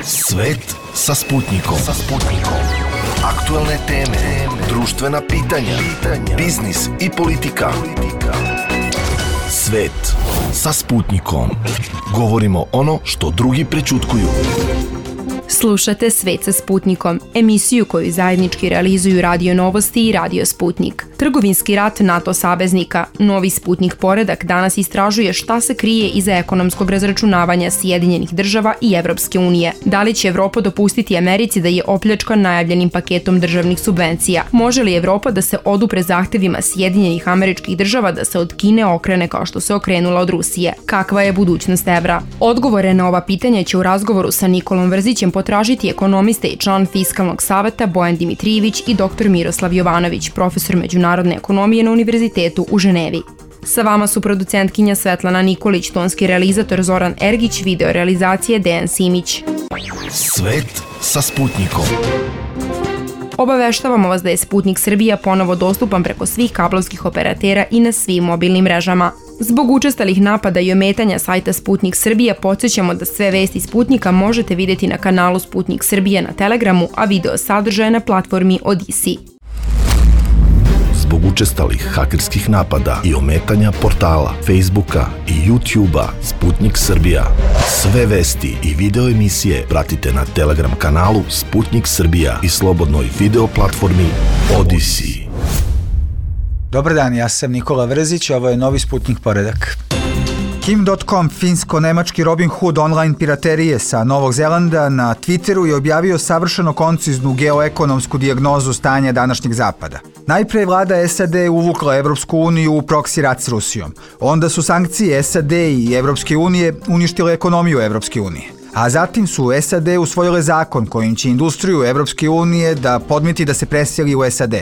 Svet sa Sputnikom. Aktuelne teme, društvena pitanja, biznis i politika. Svet sa Sputnikom. Govorimo ono što drugi prećutkuju. Slušate Svet sa Sputnikom, emisiju koju zajednički realizuju Radio Novosti i Radio Sputnik. Trgovinski rat NATO saveznika, novi Sputnik poredak danas istražuje šta se krije iza ekonomskog razračunavanja Sjedinjenih država i Evropske unije. Da li će Evropa dopustiti Americi da je opljačka najavljenim paketom državnih subvencija? Može li Evropa da se odupre zahtevima Sjedinjenih Američkih Država da se od Kine okrene kao što se okrenula od Rusije? Kakva je budućnost evra? Odgovore na ova pitanja će u razgovoru sa Nikolom Vrzićem potražiti ekonomiste i član Fiskalnog saveta Bojan Dimitrijević i dr. Miroslav Jovanović, profesor međunarodne ekonomije na Univerzitetu u Ženevi. Sa vama su producentkinja Svetlana Nikolić, tonski realizator Zoran Ergić, video realizacije Dejan Simić. Svet sa Sputnikom. Obaveštavamo vas da je Sputnik Srbija ponovo dostupan preko svih kablovskih operatera i na svim mobilnim mrežama. Zbog učestalih napada i ometanja sajta Sputnik Srbija podsjećamo da sve vesti Sputnika možete vidjeti na kanalu Sputnik Srbija na Telegramu, a video sadržaje na platformi Odisi. Zbog učestalih hakerskih napada i ometanja portala, Facebooka i YouTubea Sputnik Srbija. Sve vesti i video emisije pratite na Telegram kanalu Sputnik Srbija i slobodnoj video platformi Odisi. Dobar dan, ja sam Nikola Vrzić, ovo je novi Sputnik poredak. Kim.com, finsko-nemački Robin Hood online piraterije sa Novog Zelanda, na Twitteru je objavio savršeno konciznu geoekonomsku dijagnozu stanja današnjeg Zapada. Najpre je vlada SAD uvukla Evropsku uniju u proksi rat s Rusijom. Onda su sankcije SAD i Evropske unije uništile ekonomiju Evropske unije. A zatim su SAD usvojile zakon kojim će industriju Evropske unije da podmiti da se preseli u SAD.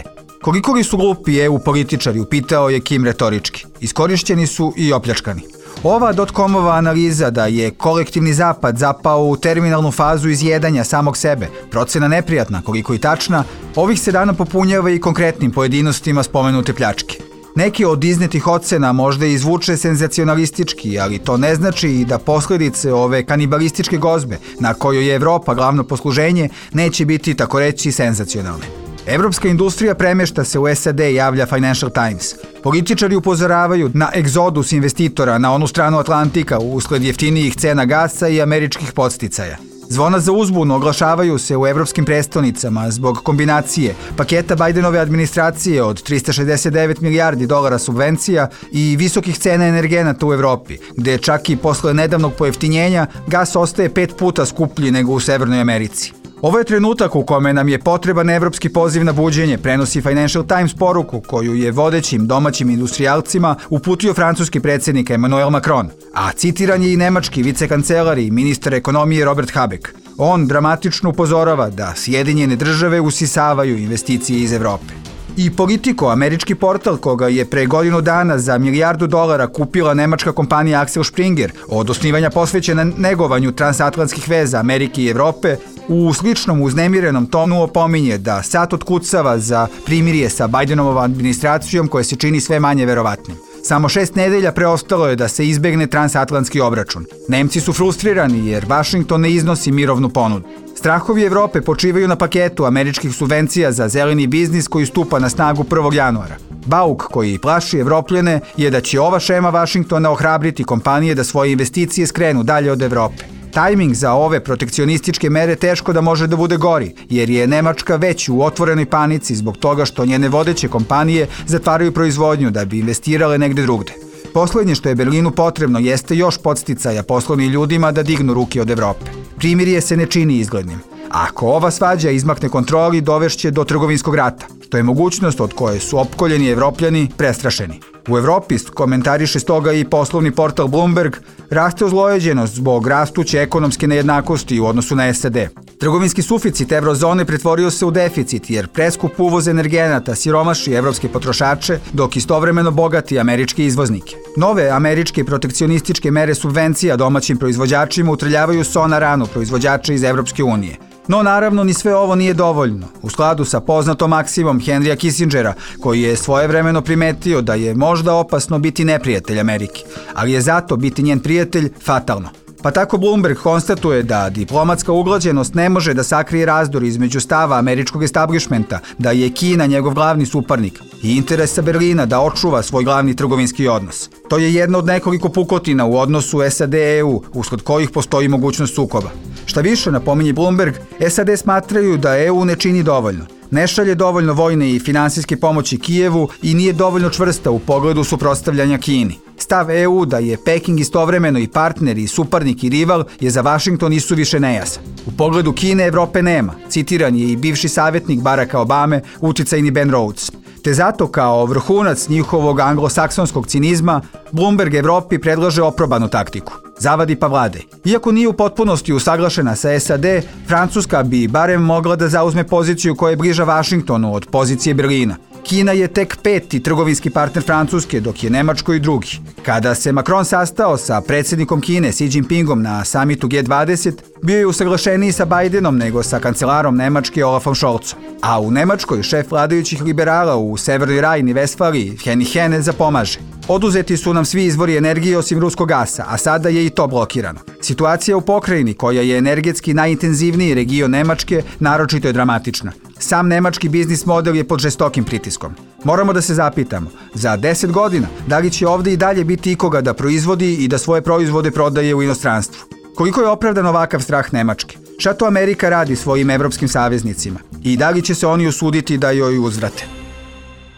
Koliko li su glupi EU političari, upitao je Kim retorički. Iskorišćeni su i opljačkani. Ova dotcomova analiza da je kolektivni zapad zapao u terminalnu fazu izjedanja samog sebe, procena neprijatna, koliko i tačna, ovih se dana popunjava i konkretnim pojedinostima spomenute pljačke. Neki od iznetih ocena možda izvuče senzacionalistički, ali to ne znači i da posljedice ove kanibalističke gozbe, na kojoj je Evropa glavno posluženje, neće biti tako reći senzacionalne. Evropska industrija premešta se u SAD, javlja Financial Times. Političari upozoravaju na egzodus investitora na onu stranu Atlantika usled jeftinijih cena gasa i američkih podsticaja. Zvona za uzbunu oglašavaju se u evropskim prestonicama zbog kombinacije paketa Bajdenove administracije od 369 milijardi dolara subvencija i visokih cena energenata u Evropi, gde čak i posle nedavnog pojeftinjenja gas ostaje 5 puta skuplji nego u Severnoj Americi. Ovo je trenutak u kome nam je potreban evropski poziv na buđenje, prenosi Financial Times poruku koju je vodećim domaćim industrijalcima uputio francuski predsjednik Emmanuel Macron, a citiran je i nemački vicekancelar i ministar ekonomije Robert Habeck. On dramatično upozorava da Sjedinjene države usisavaju investicije iz Evrope. I Politico, američki portal koga je pre godinu dana za $1 milijardu kupila nemačka kompanija Axel Springer, od osnivanja posvećena negovanju transatlantskih veza Amerike i Evrope, u sličnom uznemirenom tonu opominje da sat otkucava za primirje sa Bidenovom administracijom koje se čini sve manje verovatnim. Samo 6 nedelja preostalo je da se izbegne transatlantski obračun. Nemci su frustrirani jer Vašington ne iznosi mirovnu ponudu. Strahovi Evrope počivaju na paketu američkih subvencija za zeleni biznis koji stupa na snagu 1. januara. Bauk koji plaši Evropljene je da će ova šema Vašingtona ohrabriti kompanije da svoje investicije skrenu dalje od Evrope. Tajming za ove protekcionističke mere teško da može da bude gori, jer je Nemačka već u otvorenoj panici zbog toga što njene vodeće kompanije zatvaraju proizvodnju da bi investirale negde drugde. Poslednje što je Berlinu potrebno jeste još podsticaja poslovnim ljudima da dignu ruke od Evrope. Primirje se ne čini izglednim. Ako ova svađa izmakne kontroli, dovešće do trgovinskog rata, što je mogućnost od koje su opkoljeni Evropljani prestrašeni. U Evropi, komentariše stoga i poslovni portal Bloomberg, raste ozlojeđenost zbog rastuće ekonomske nejednakosti u odnosu na SAD. Trgovinski suficit evrozone pretvorio se u deficit jer preskup uvoz energenata siromaši evropske potrošače, dok istovremeno bogati američke izvoznike. Nove američke protekcionističke mere subvencija domaćim proizvođačima utrljavaju so na ranu proizvođača iz Evropske unije. No naravno ni sve ovo nije dovoljno. U skladu sa poznatom maksimom Henrya Kissingera, koji je svojevremeno primetio da je možda opasno biti neprijatelj Amerike, ali je zato biti njen prijatelj fatalno. Pa tako Bloomberg konstatuje da diplomatska uglađenost ne može da sakrije razdor između stava američkog establishmenta da je Kina njegov glavni suparnik i interesa Berlina da očuva svoj glavni trgovinski odnos. To je jedna od nekoliko pukotina u odnosu SAD-EU, usled kojih postoji mogućnost sukoba. Šta više, napominje Bloomberg, SAD smatraju da EU ne čini dovoljno. Ne šalje dovoljno vojne i finansijske pomoći Kijevu i nije dovoljno čvrsta u pogledu suprotstavljanja Kini. Stav EU da je Peking istovremeno i partner i suparnik i rival je za Vašington isuviše nejasan. U pogledu Kine Evrope nema, citiran je i bivši savjetnik Baracka Obame, uticajni Ben Rhodes. Te zato kao vrhunac njihovog anglosaksonskog cinizma, Bloomberg Evropi predlaže oprobanu taktiku. Zavadi pa vladaj. Iako nije u potpunosti usaglašena sa SAD, Francuska bi barem mogla da zauzme poziciju koja je bliža Vašingtonu od pozicije Berlina. Kina je tek 5. trgovinski partner Francuske, dok je Nemačko i drugi. Kada se Macron sastao sa predsjednikom Kine Xi Jinpingom na samitu G20, bio je usaglašeniji sa Bidenom nego sa kancelarom Nemačke Olafom Scholzom. A u Nemačkoj šef vladajućih liberala u Severnoj Rajni Vestfaliji, Henning Hene, zapomaže. Oduzeti su nam svi izvori energije osim ruskog gasa, a sada je i to blokirano. Situacija u pokrajini, koja je energetski najintenzivniji region Nemačke, naročito je dramatična. Sam nemački biznis model je pod žestokim pritiskom. Moramo da se zapitamo, za 10 godina, da li će ovdje i dalje biti ikoga da proizvodi i da svoje proizvode prodaje u inostranstvu? Koliko je opravdan ovakav strah Nemačke? Šta to Amerika radi svojim evropskim saveznicima? I da li će se oni usuditi da joj uzvrate?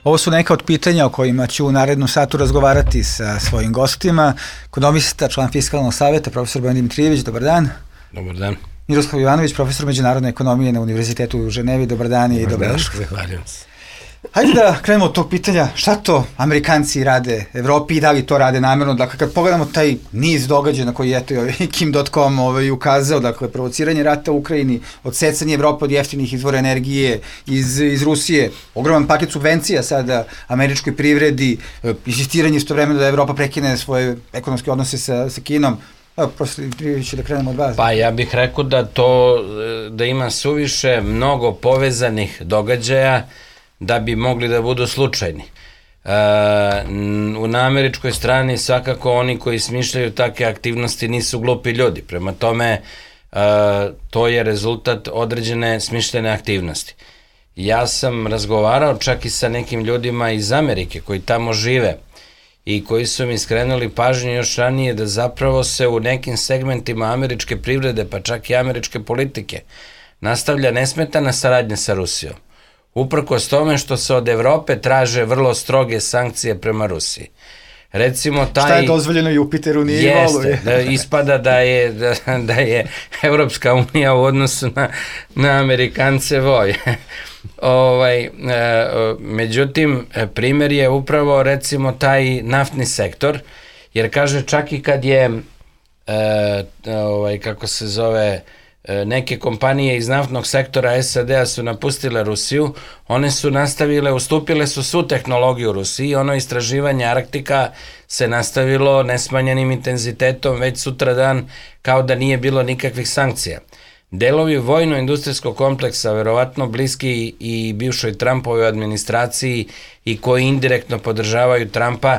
Ovo su neka od pitanja o kojima ću u narednom satu razgovarati sa svojim gostima. Ekonomista, član Fiskalnog savjeta, profesor Bojan Dimitrijević, dobar dan. Dobar dan. Miroslav Jovanović, profesor međunarodne ekonomije na Univerzitetu u Ženevi, dobar dan i dobrodošli. Zahvaljujem se. Hajde da krenemo od tog pitanja, šta to Amerikanci rade Evropi i da li to rade namjerno? Dakle, kad pogledamo taj niz događaja na koji je Kim.com ukazao, dakle, provociranje rata u Ukrajini, odsecanje Evrope od jeftinih izvora energije iz Rusije, ogroman paket subvencija sada američkoj privredi, insistiranje istovremeno da Evropa prekine svoje ekonomske odnose sa Kinom. Profesor Dimitrijević, da krenemo od vas. Pa ja bih rekao da ima suviše mnogo povezanih događaja da bi mogli da budu slučajni. Na američkoj strani svakako oni koji smišljaju takve aktivnosti nisu glupi ljudi. Prema tome, to je rezultat određene smišljene aktivnosti. Ja sam razgovarao čak i sa nekim ljudima iz Amerike koji tamo žive i koji su mi skrenuli pažnju još ranije da zapravo se u nekim segmentima američke privrede, pa čak i američke politike, nastavlja nesmetana saradnja sa Rusijom. Uprkos tome što se od Evrope traže vrlo stroge sankcije prema Rusiji. Recimo šta je dozvoljeno Jupiteru nije i Volu? Jeste, ispada da je Evropska unija u odnosu na Amerikance voj. Međutim, primjer je upravo recimo taj naftni sektor, jer kaže čak i kad je neke kompanije iz naftnog sektora SAD-a su napustile Rusiju, one su nastavile, ustupile su svu tehnologiju Rusiji, ono istraživanje Arktika se nastavilo nesmanjenim intenzitetom već sutradan kao da nije bilo nikakvih sankcija. Delovi vojno-industrijskog kompleksa, verovatno bliski i bivšoj Trumpovoj administraciji i koji indirektno podržavaju Trumpa,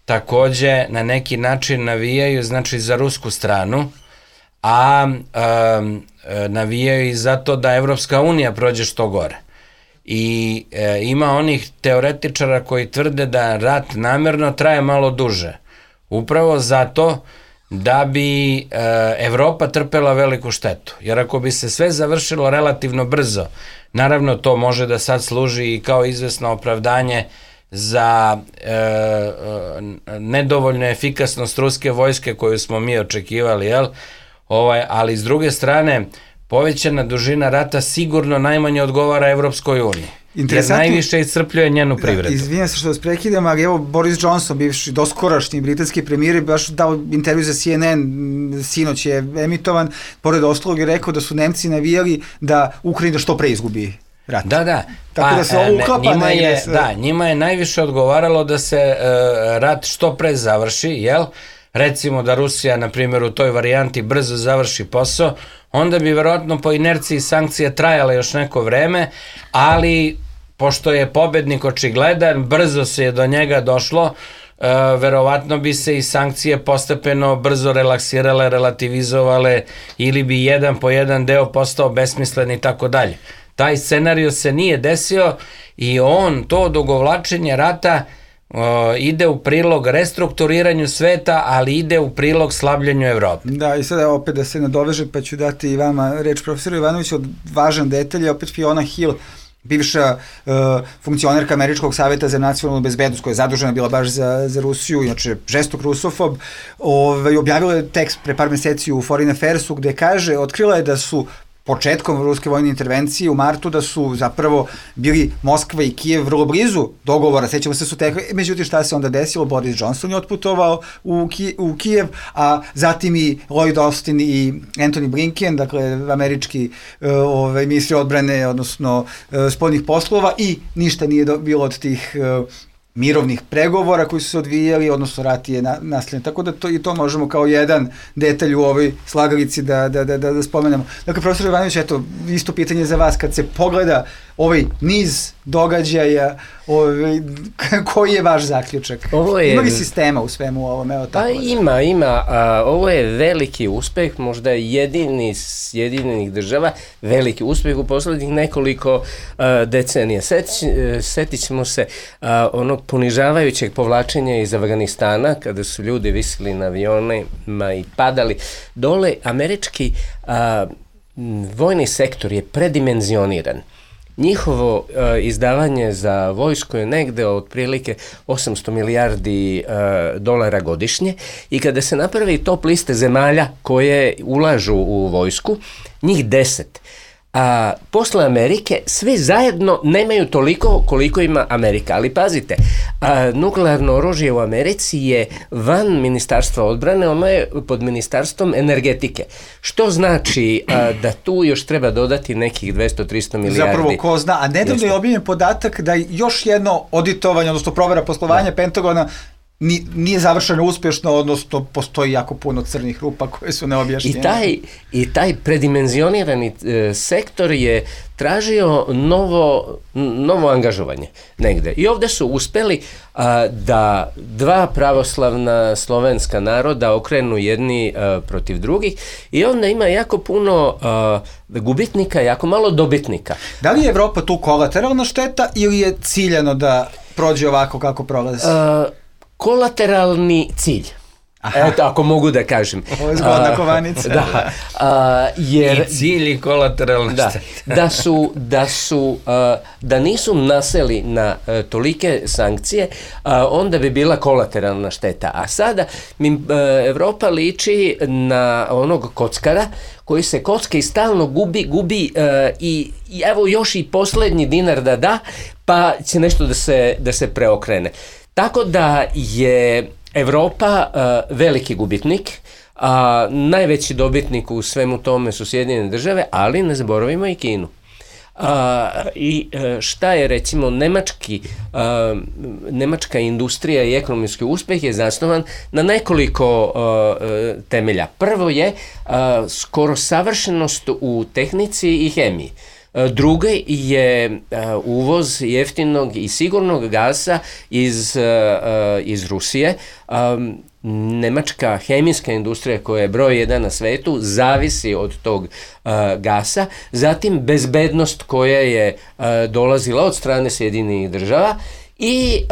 takođe na neki način navijaju, znači, za rusku stranu, a navijaju i zato da Evropska unija prođe što gore. I ima onih teoretičara koji tvrde da rat namerno traje malo duže. Upravo zato da bi Evropa trpela veliku štetu. Jer ako bi se sve završilo relativno brzo, naravno to može da sad služi i kao izvesno opravdanje za nedovoljnu efikasnost ruske vojske koju smo mi očekivali, ali s druge strane povećana dužina rata sigurno najmanje odgovara Evropskoj uniji. Jer najviše iscrpljuje njenu privredu. Izvinjam se što vas prekidam, ali evo Boris Johnson, bivši doskorašnji britanski premijer, baš dao intervju za CNN, sinoć je emitovan, pored ostalog je rekao da su Nemci navijali da Ukrajina što pre izgubi rat. Da. Tako da se ovo uklapa negde. Njima je najviše odgovaralo da se rat što pre završi, jel? Recimo da Rusija, na primjer, u toj varijanti brzo završi posao, onda bi verovatno po inerciji sankcije trajale još neko vreme, ali pošto je pobednik očigledan, brzo se je do njega došlo, verovatno bi se i sankcije postepeno brzo relaksirale, relativizovale ili bi jedan po jedan deo postao besmislen i tako dalje. Taj scenario se nije desio i to odugovlačenje rata ide u prilog restrukturiranju sveta, ali ide u prilog slabljenju Evrope. Da, i sada opet da se nadovežem, pa ću dati i vama reč, profesor Ivanović, od važan detalj je opet Fiona Hill, bivša funkcionerka Američkog savjeta za nacionalnu bezbednost, koja je zadužena bila baš za Rusiju, inače žestok rusofob, objavila je tekst pre par meseci u Foreign Affairsu, gde kaže, otkrila je da su početkom ruske vojne intervencije u martu da su zapravo bili Moskva i Kijev vrlo blizu dogovora, sećamo se su tekli, međutim šta se onda desilo, Boris Johnson je otputovao u Kijev, a zatim i Lloyd Austin i Antony Blinken, dakle američki ministri odbrane, odnosno spoljnih poslova, i ništa nije bilo od tih mirovnih pregovora koji su se odvijali, odnosno rat je nastavljen. Tako da to možemo kao jedan detalj u ovoj slagalici da spomenemo. Dakle, profesor Ivanović, eto, isto pitanje za vas, kad se pogleda ovaj niz događaja, koji je vaš zaključak? Ima li sistema u svemu ovom? Pa ima. Ovo je veliki uspeh, možda jedini Sjedinjenih država, veliki uspeh u poslednjih nekoliko decenija. Setit ćemo se onog ponižavajućeg povlačenja iz Afganistana, kada su ljudi visili na avionima i padali dole. Američki vojni sektor je predimenzioniran. Njihovo izdavanje za vojsku je negde otprilike 800 milijardi dolara godišnje i kada se napravi top liste zemalja koje ulažu u vojsku, njih 10. A posle Amerike svi zajedno nemaju toliko koliko ima Amerika. Ali pazite, nuklearno oružje u Americi je van ministarstva odbrane, ono je pod ministarstvom energetike. Što znači da tu još treba dodati nekih 200-300 milijardi. Zapravo ko zna, a nedavno je objavljen podatak da još jedno auditovanje, odnosno provera poslovanja Pentagona nije završeno uspješno, odnosno postoji jako puno crnih rupa koje su neobjašnjene. I taj predimenzionirani sektor je tražio novo angažovanje negde. I ovde su uspeli da dva pravoslavna slovenska naroda okrenu jedni protiv drugih i onda ima jako puno gubitnika, jako malo dobitnika. Da li je Evropa tu kolateralna šteta ili je ciljano da prođe ovako kako prolazi? Kolateralni cilj. Eto, ako mogu da kažem. Ovo je zgodna kovanica. Da. I cilj i kolateralna šteta. Da nisu naseli na tolike sankcije, onda bi bila kolateralna šteta. A sada Evropa liči na onog kockara koji se kocka i stalno gubi i evo još i poslednji dinar da, pa će nešto da se preokrene. Tako da je Evropa veliki gubitnik, a najveći dobitnik u svemu tome su Sjedinjene države, ali ne zaboravimo i Kinu. I šta je recimo nemačka industrija i ekonomski uspeh je zasnovan na nekoliko temelja. Prvo je skoro savršenost u tehnici i hemiji. Drugi je uvoz jeftinog i sigurnog gasa iz Rusije. Nemačka hemijska industrija koja je broj 1 na svetu zavisi od tog gasa. Zatim bezbednost koja je dolazila od strane Sjedinjenih država i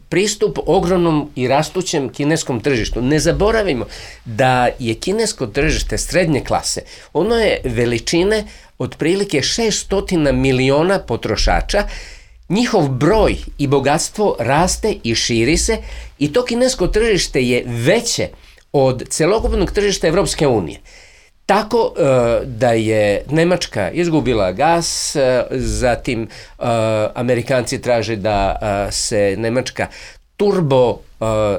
pristup ogromnom i rastućem kineskom tržištu. Ne zaboravimo da je kinesko tržište srednje klase. Ono je veličine otprilike 600 miliona potrošača. Njihov broj i bogatstvo raste i širi se i to kinesko tržište je veće od celokupnog tržišta Evropske unije. Tako da je Nemačka izgubila gas, zatim Amerikanci traže da se Nemačka turbo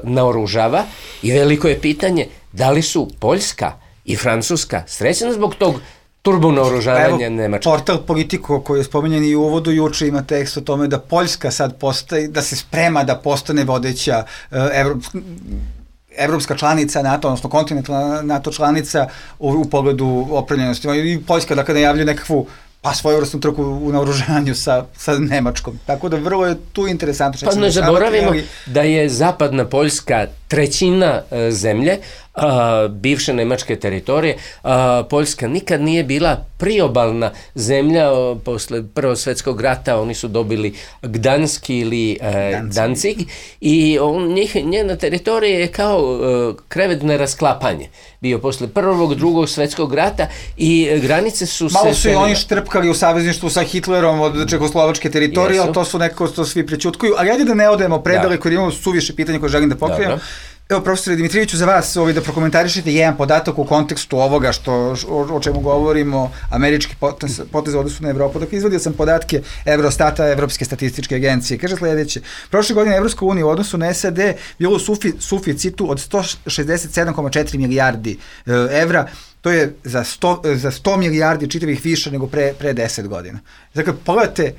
naoružava i veliko je pitanje da li su Poljska i Francuska srećene zbog tog turbo naoružavanja Nemačke. Portal Politico koji je spomenjen i u uvodu juče ima tekst o tome da Poljska sad postaje, da se sprema da postane vodeća evropska članica NATO, odnosno kontinentalna NATO članica u pogledu opremljenosti. I Poljska dakle najavljuje nekakvu pa svojevrsnu trku u naoružanju sa Nemačkom. Tako da vrlo je tu interesantno. Pa ne zaboravimo da je zapadna Poljska trećina zemlje, bivše nemačke teritorije. Poljska nikad nije bila priobalna zemlja. Posle Prvog svjetskog rata oni su dobili Gdanski ili Danzig i njena teritorija je kao krevet na rasklapanje bio posle Prvog, Drugog svjetskog rata i granice su malo su i oni štrpkali u savezništvu sa Hitlerom od čehoslovačke teritorije, ali to su nekako to svi prećutkuju. Ali ajde da ne odemo predaleko jer imamo suviše pitanja koje želim da pokrijem. Evo, profesore Dimitrijeviću, za vas da prokomentarišete jedan podatak u kontekstu ovoga o čemu govorimo, američki potez u odnosu na Evropu. Dakle, izvadio sam podatke Eurostata, Evropske statističke agencije. Kaže sledeće: prošle godine Evropska unija u odnosu na SAD bilo u suficitu od 167,4 milijardi evra. To je za 100 milijardi čitavih više nego pre 10 godina. Dakle, pogledajte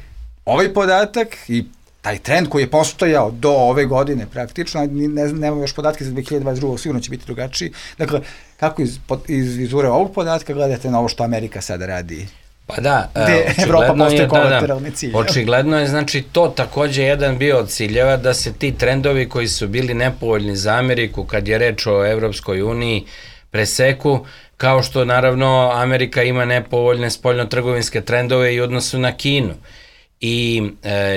ovaj podatak i taj trend koji je postojao do ove godine praktično, nemamo još podatke za 2022. sigurno će biti drugačiji. Dakle, kako iz vizure ovog podatka gledate na ovo što Amerika sada radi? Pa da, očigledno je, znači to takođe jedan bio od ciljeva da se ti trendovi koji su bili nepovoljni za Ameriku kad je reč o Evropskoj uniji preseku, kao što naravno Amerika ima nepovoljne spoljno-trgovinske trendove i u odnosu na Kinu. I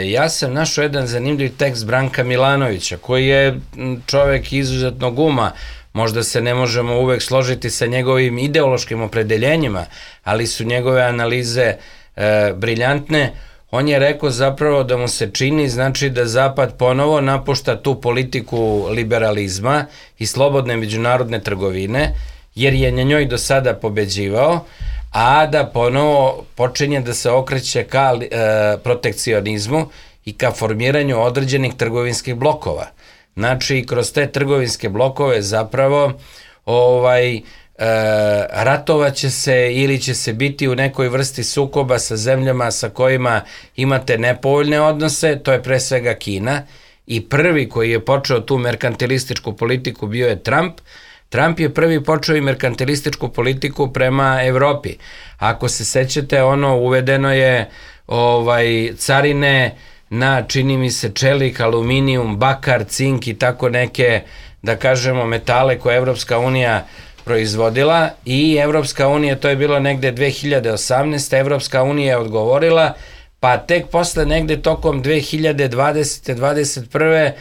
ja sam našao jedan zanimljiv tekst Branka Milanovića, koji je čovek izuzetnog uma, možda se ne možemo uvek složiti sa njegovim ideološkim opredeljenjima, ali su njegove analize briljantne. On je rekao zapravo da mu se čini, znači da Zapad ponovo napušta tu politiku liberalizma i slobodne međunarodne trgovine, jer je na njoj do sada pobeđivao, a da ponovo počinje da se okreće ka protekcionizmu i ka formiranju određenih trgovinskih blokova. Znači, kroz te trgovinske blokove zapravo ratovaće se ili će se biti u nekoj vrsti sukoba sa zemljama sa kojima imate nepovoljne odnose, to je pre svega Kina, i prvi koji je počeo tu merkantilističku politiku bio je Trump. Trump je prvi počeo i merkantilističku politiku prema Evropi. Ako se sećate, uvedeno je carine na, čini mi se, čelik, aluminijum, bakar, cink i tako neke, da kažemo, metale koje Evropska unija proizvodila i Evropska unija, to je bilo negde 2018. Evropska unija je odgovorila, pa tek posle negde tokom 2020. 21.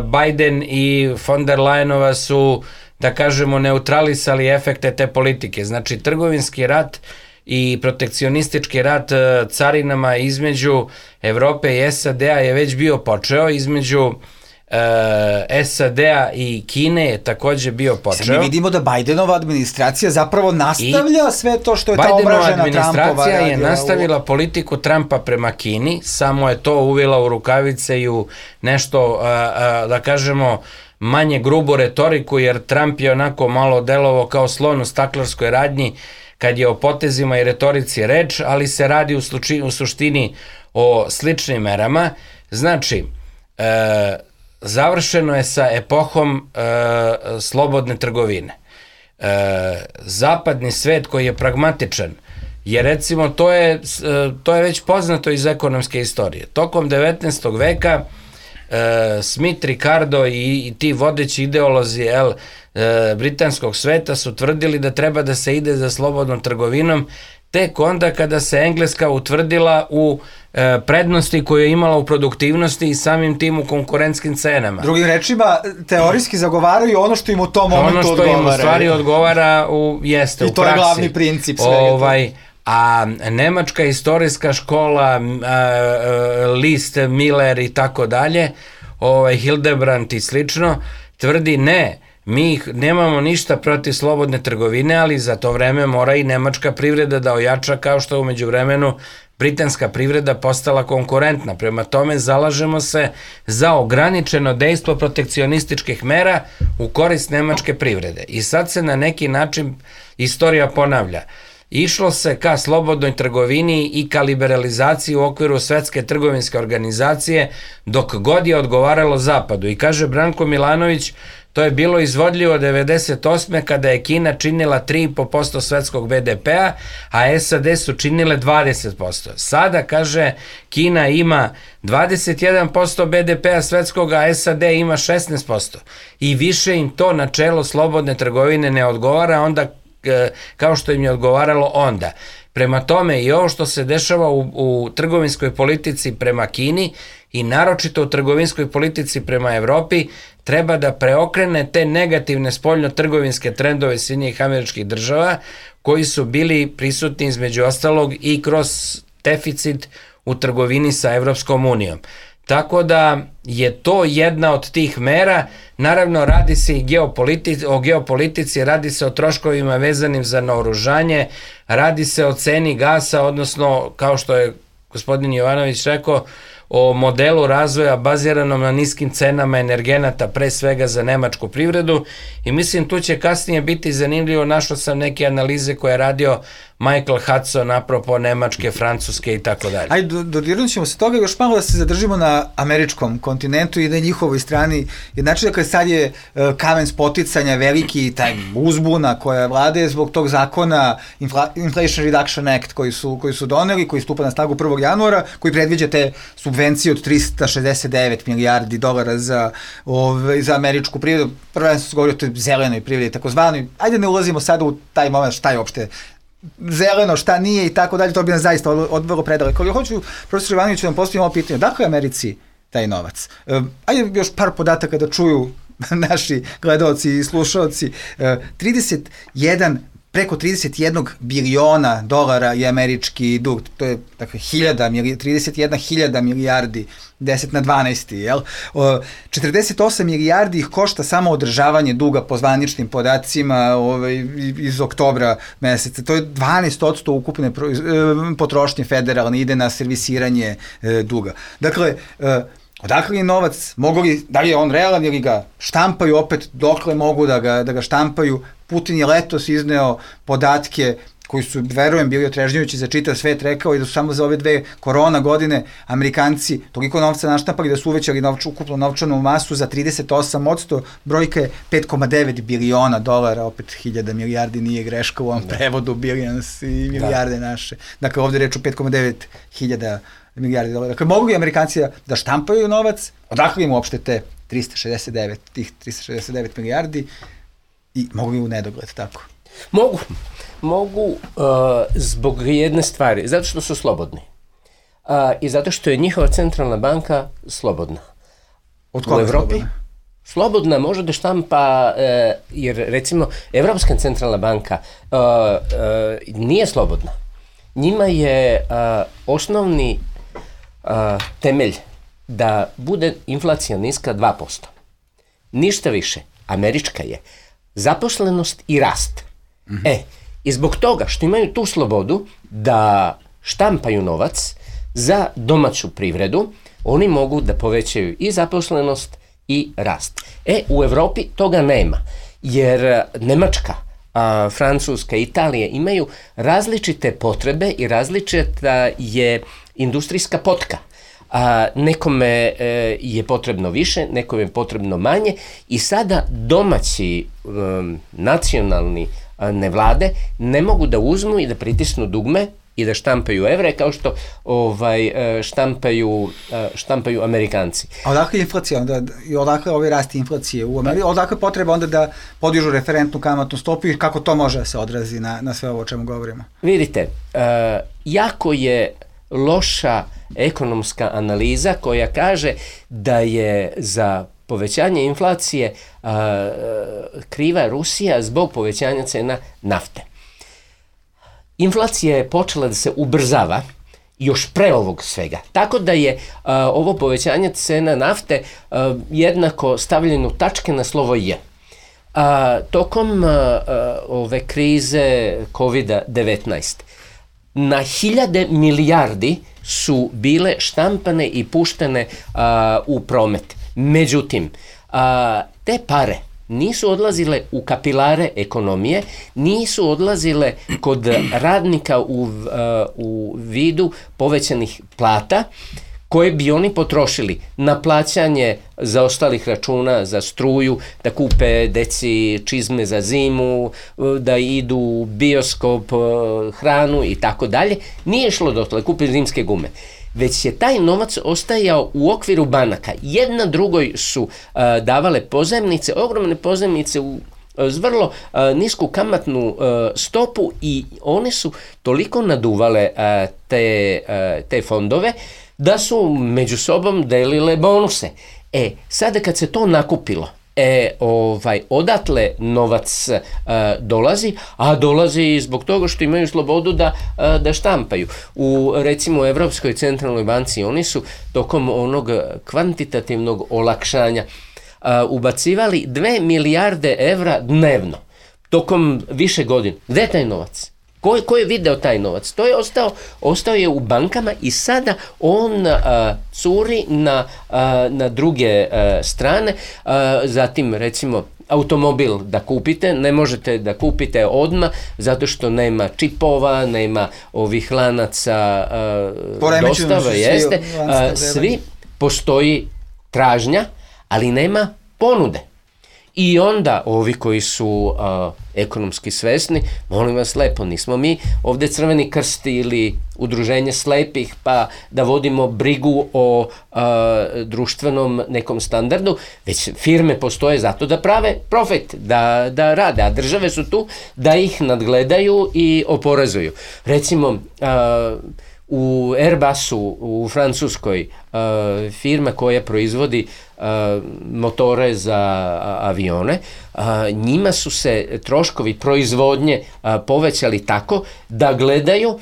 Biden i von der Leyenova su, da kažemo, neutralisali efekte te politike. Znači, trgovinski rat i protekcionistički rat carinama između Evrope i SAD-a je već bio počeo, između SAD-a i Kine je takođe bio počeo. Sad mi vidimo da Bidenova administracija zapravo nastavlja sve to što je ta omražena Trumpova. Bidenova administracija je nastavila politiku Trumpa prema Kini, samo je to uvila u rukavice i u nešto, da kažemo, manje grubu retoriku, jer Trump je onako malo delovao kao slon u staklarskoj radnji kad je o potezima i retorici reč, ali se radi u suštini o sličnim merama. Znači, završeno je sa epohom slobodne trgovine. Zapadni svet koji je pragmatičan, jer recimo to je već poznato iz ekonomske istorije. Tokom 19. veka Smith, Ricardo i ti vodeći ideolozi britanskog sveta su tvrdili da treba da se ide za slobodnom trgovinom tek onda kada se Engleska utvrdila u prednosti koje je imala u produktivnosti i samim tim u konkurentskim cenama. Drugim rečima, teorijski zagovaraju ono što im u tom momentu odgovara. Ono što im u stvari odgovara jeste u praksi. I to je glavni princip svega. A nemačka istorijska škola, List, Miller i tako dalje, Hildebrand i slično, tvrdi ne, mi nemamo ništa protiv slobodne trgovine, ali za to vreme mora i nemačka privreda da ojača, kao što u međuvremenu britanska privreda postala konkurentna. Prema tome zalažemo se za ograničeno dejstvo protekcionističkih mera u korist nemačke privrede. I sad se na neki način istorija ponavlja. Išlo se ka slobodnoj trgovini i ka liberalizaciji u okviru Svetske trgovinske organizacije dok god je odgovaralo Zapadu. I kaže Branko Milanović, To je bilo izvodljivo 98. kada je Kina činila 3,5% svetskog BDP-a, a SAD su činile 20%. Sada, kaže, Kina ima 21% BDP-a svetskog, a SAD ima 16%. I više im to načelo slobodne trgovine ne odgovara onda kao što im je odgovaralo onda. Prema tome i ovo što se dešava u trgovinskoj politici prema Kini i naročito u trgovinskoj politici prema Evropi treba da preokrene te negativne spoljno-trgovinske trendove Sjedinjenih Američkih Država koji su bili prisutni između ostalog i kroz deficit u trgovini sa Evropskom unijom. Tako da je to jedna od tih mera. Naravno, radi se i o geopolitici, radi se o troškovima vezanim za naoružanje, radi se o ceni gasa, odnosno, kao što je gospodin Jovanović rekao, o modelu razvoja baziranom na niskim cenama energenata, pre svega za nemačku privredu, i mislim tu će kasnije biti zanimljivo, našao sam neke analize koje je radio Michael Hudson apropo Nemačke, Francuske i tako dalje. Ajde, dodirnut ćemo se toga, još malo da se zadržimo na američkom kontinentu i na njihovoj strani. Znači, dakle, sad je kamen spoticanja veliki, taj uzbuna koja vlade zbog tog zakona Inflation Reduction Act koji su doneli, koji stupa na snagu 1. januara, koji predviđa te subvencije od 369 milijardi dolara za američku privredu. Prvenstveno se govori o toj zelenoj privredi, takozvanoj. Ajde, ne ulazimo sada u taj moment šta je uopšte zeleno, šta nije i tako dalje, to bi nas zaista odvelo predaleko. Ali hoću, profesor Jovanović, da vam postavim ovo pitanje. Dakle, Americi taj novac? Ajde još par podataka da čuju naši gledalci i slušalci. Preko 31 biliona dolara je američki dug, to je dakle 31.000 milijardi, 10 na 12, jel? 48 milijardi ih košta samo održavanje duga po zvaničnim podacima iz oktobra meseca. To je 12% ukupne potrošnje federalne, ide na servisiranje duga. Dakle, odakle je novac, da li je on realan ili ga štampaju opet, dokle mogu da ga štampaju. Putin je letos izneo podatke koji su, verujem, bili otrežnjujući za čitav svet, rekao i da su samo za ove 2 korona godine Amerikanci toliko novca naštampali da su uvećali ukupnu novčanu masu za 38%, brojka je 5,9 biliona dolara, opet 1000 milijardi nije greška u ovom prevodu, billions i milijarde naše. Dakle, ovde reč o 5,9 hiljada milijardi dolara. Dakle, mogu li Amerikanci da štampaju novac? Odakle im uopšte tih 369 milijardi i mogu li u nedogled, tako? Mogu zbog jedne stvari, zato što su slobodni i zato što je njihova centralna banka slobodna. Od koga u Evropi slobodna može da štampa, jer recimo Evropska centralna banka nije slobodna. Njima je osnovni temelj da bude inflacija niska 2%. Ništa više. Američka je zaposlenost i rast. I zbog toga što imaju tu slobodu da štampaju novac za domaću privredu, oni mogu da povećaju i zaposlenost i rast. U Evropi toga nema, jer Nemačka, Francuska, Italija imaju različite potrebe i različita je industrijska potka. Nekome je potrebno više, nekome je potrebno manje i sada domaći nacionalni nevlade ne mogu da uzmu i da pritisnu dugme i da štampaju evre kao što štampaju Amerikanci. A odakle inflacija onda, i odakle ovaj rast inflacije u Americi, odakle potreba onda da podižu referentnu kamatnu stopu i kako to može da se odrazi na sve ovo o čemu govorimo? Vidite, jako je loša ekonomska analiza koja kaže da je za povećanje inflacije kriva Rusija zbog povećanja cena nafte. Inflacija je počela da se ubrzava još pre ovog svega. Tako da je ovo povećanje cena nafte jednako stavljeno tačke na slovo J. Tokom ove krize COVID-19 na 1000 milijardi su bile štampane i puštene u promet. Međutim, te pare nisu odlazile u kapilare ekonomije, nisu odlazile kod radnika u vidu povećanih plata, koje bi oni potrošili na plaćanje zaostalih računa za struju, da kupe deci čizme za zimu, da idu u bioskop, hranu i tako dalje, nije šlo dotle, kupe zimske gume. Već je taj novac ostajao u okviru banaka. Jedna drugoj su davale pozajmnice, ogromne pozajmnice s vrlo nisku kamatnu stopu i one su toliko naduvale te fondove da su među sobom delile bonuse. Sada kad se to nakupilo, odatle novac dolazi, a dolazi zbog toga što imaju slobodu da štampaju. U recimo Evropskoj centralnoj banci oni su tokom onog kvantitativnog olakšanja ubacivali 2 milijarde evra dnevno tokom više godina. Gde je taj novac? Ko je video taj novac? To je ostao je u bankama i sada on curi na druge strane. Zatim recimo automobil da kupite, ne možete da kupite odmah zato što nema čipova, nema ovih lanaca dostave, jeste. Svi postoji tražnja, ali nema ponude. I onda ovi koji su ekonomski svesni, molim vas lepo, nismo mi ovde Crveni krst ili udruženje slepih pa da vodimo brigu o društvenom nekom standardu, već firme postoje zato da prave profit, da rade, a države su tu da ih nadgledaju i oporezuju. Recimo, u Airbusu u Francuskoj firma koja proizvodi motore za avione, njima su se troškovi proizvodnje povećali tako da gledaju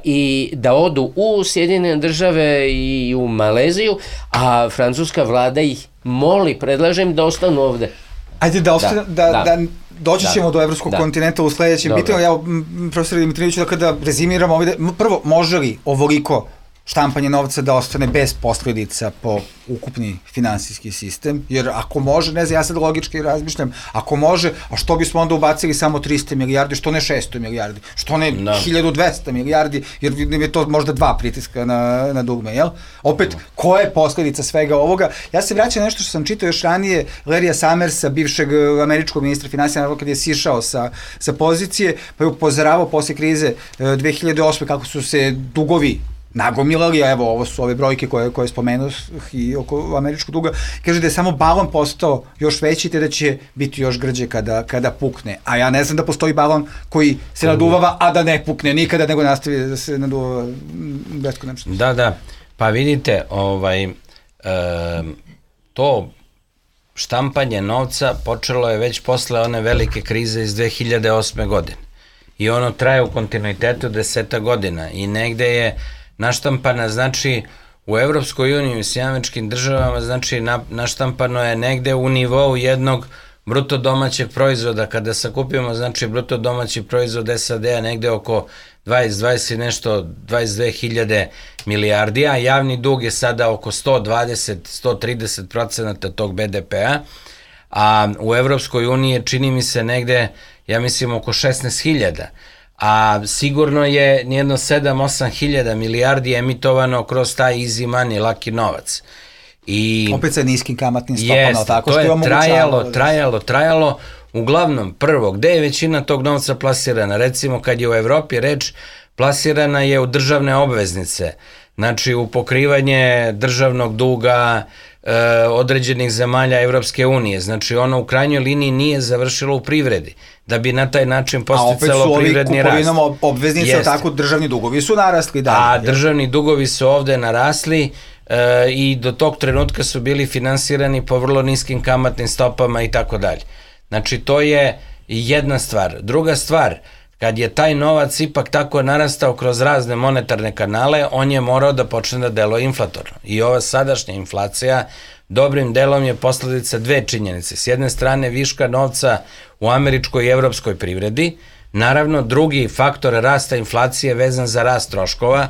i da odu u Sjedinjene države i u Maleziju, a francuska vlada ih moli, predlažem da ostanu ovde. Ajde da doći ćemo do evropskog kontinenta u sledećem pitanju. Ja, profesor Dimitrijeviću, da kada rezimiramo ovdje, prvo, može li ovoliko štampanje novca da ostane bez posledica po ukupni finansijski sistem, jer ako može, ne znam, ja sad logički razmišljam, ako može, a što bismo onda ubacili samo 300 milijardi, što ne 600 milijardi, što ne 1200 milijardi, jer je to možda 2 pritiska na dugme, jel? Opet, koja je posledica svega ovoga? Ja se vraćam nešto što sam čitao još ranije, Larrya Summersa, bivšeg američkog ministra finansija, kad je sišao sa pozicije, pa je upozoravao posle krize 2008. kako su se dugovi nagomilali, a evo, ovo su ove brojke koje spomenuo i oko američkog duga, kaže da je samo balon postao još veći, te da će biti još grđe kada pukne. A ja ne znam da postoji balon koji se naduvava, a da ne pukne nikada, nego nastavi da se naduvava beskonačno. Da, pa vidite, to štampanje novca počelo je već posle one velike krize iz 2008. godine. I ono traje u kontinuitetu 10 godina i negde je naštampana, znači u Evropskoj uniji i Sjedinjenim državama, znači naštampano je negde u nivou jednog bruto domaćeg proizvoda. Kada sakupimo, znači bruto domaći proizvod SAD-a negde oko 22 milijardi, a javni dug je sada oko 120-130% tog BDP-a, a u Evropskoj uniji je, čini mi se, negde, ja mislim, oko 16.000, a sigurno je nijedno 7-8 hiljada milijardi emitovano kroz taj easy money, laki novac. I opet sa niskim kamatnim stopama, tako što je trajalo. Uglavnom, prvo, gde je većina tog novca plasirana? Recimo, kad je u Evropi reč, plasirana je u državne obveznice, znači u pokrivanje državnog duga određenih zemalja Evropske unije. Znači, ono u krajnjoj liniji nije završilo u privredi, da bi na taj način posticalo privredni rast. A opet su ovi kupovinom obveznice, tako državni dugovi su narasli dalje. A državni dugovi su ovde narasli i do tog trenutka su bili finansirani po vrlo niskim kamatnim stopama i tako dalje. Znači, to je jedna stvar. Druga stvar, kad je taj novac ipak tako narastao kroz razne monetarne kanale, on je morao da počne da deluje inflatorno. I ova sadašnja inflacija dobrim delom je posledica dve činjenice. S jedne strane viška novca u američkoj i evropskoj privredi, naravno drugi faktor rasta inflacije vezan za rast troškova,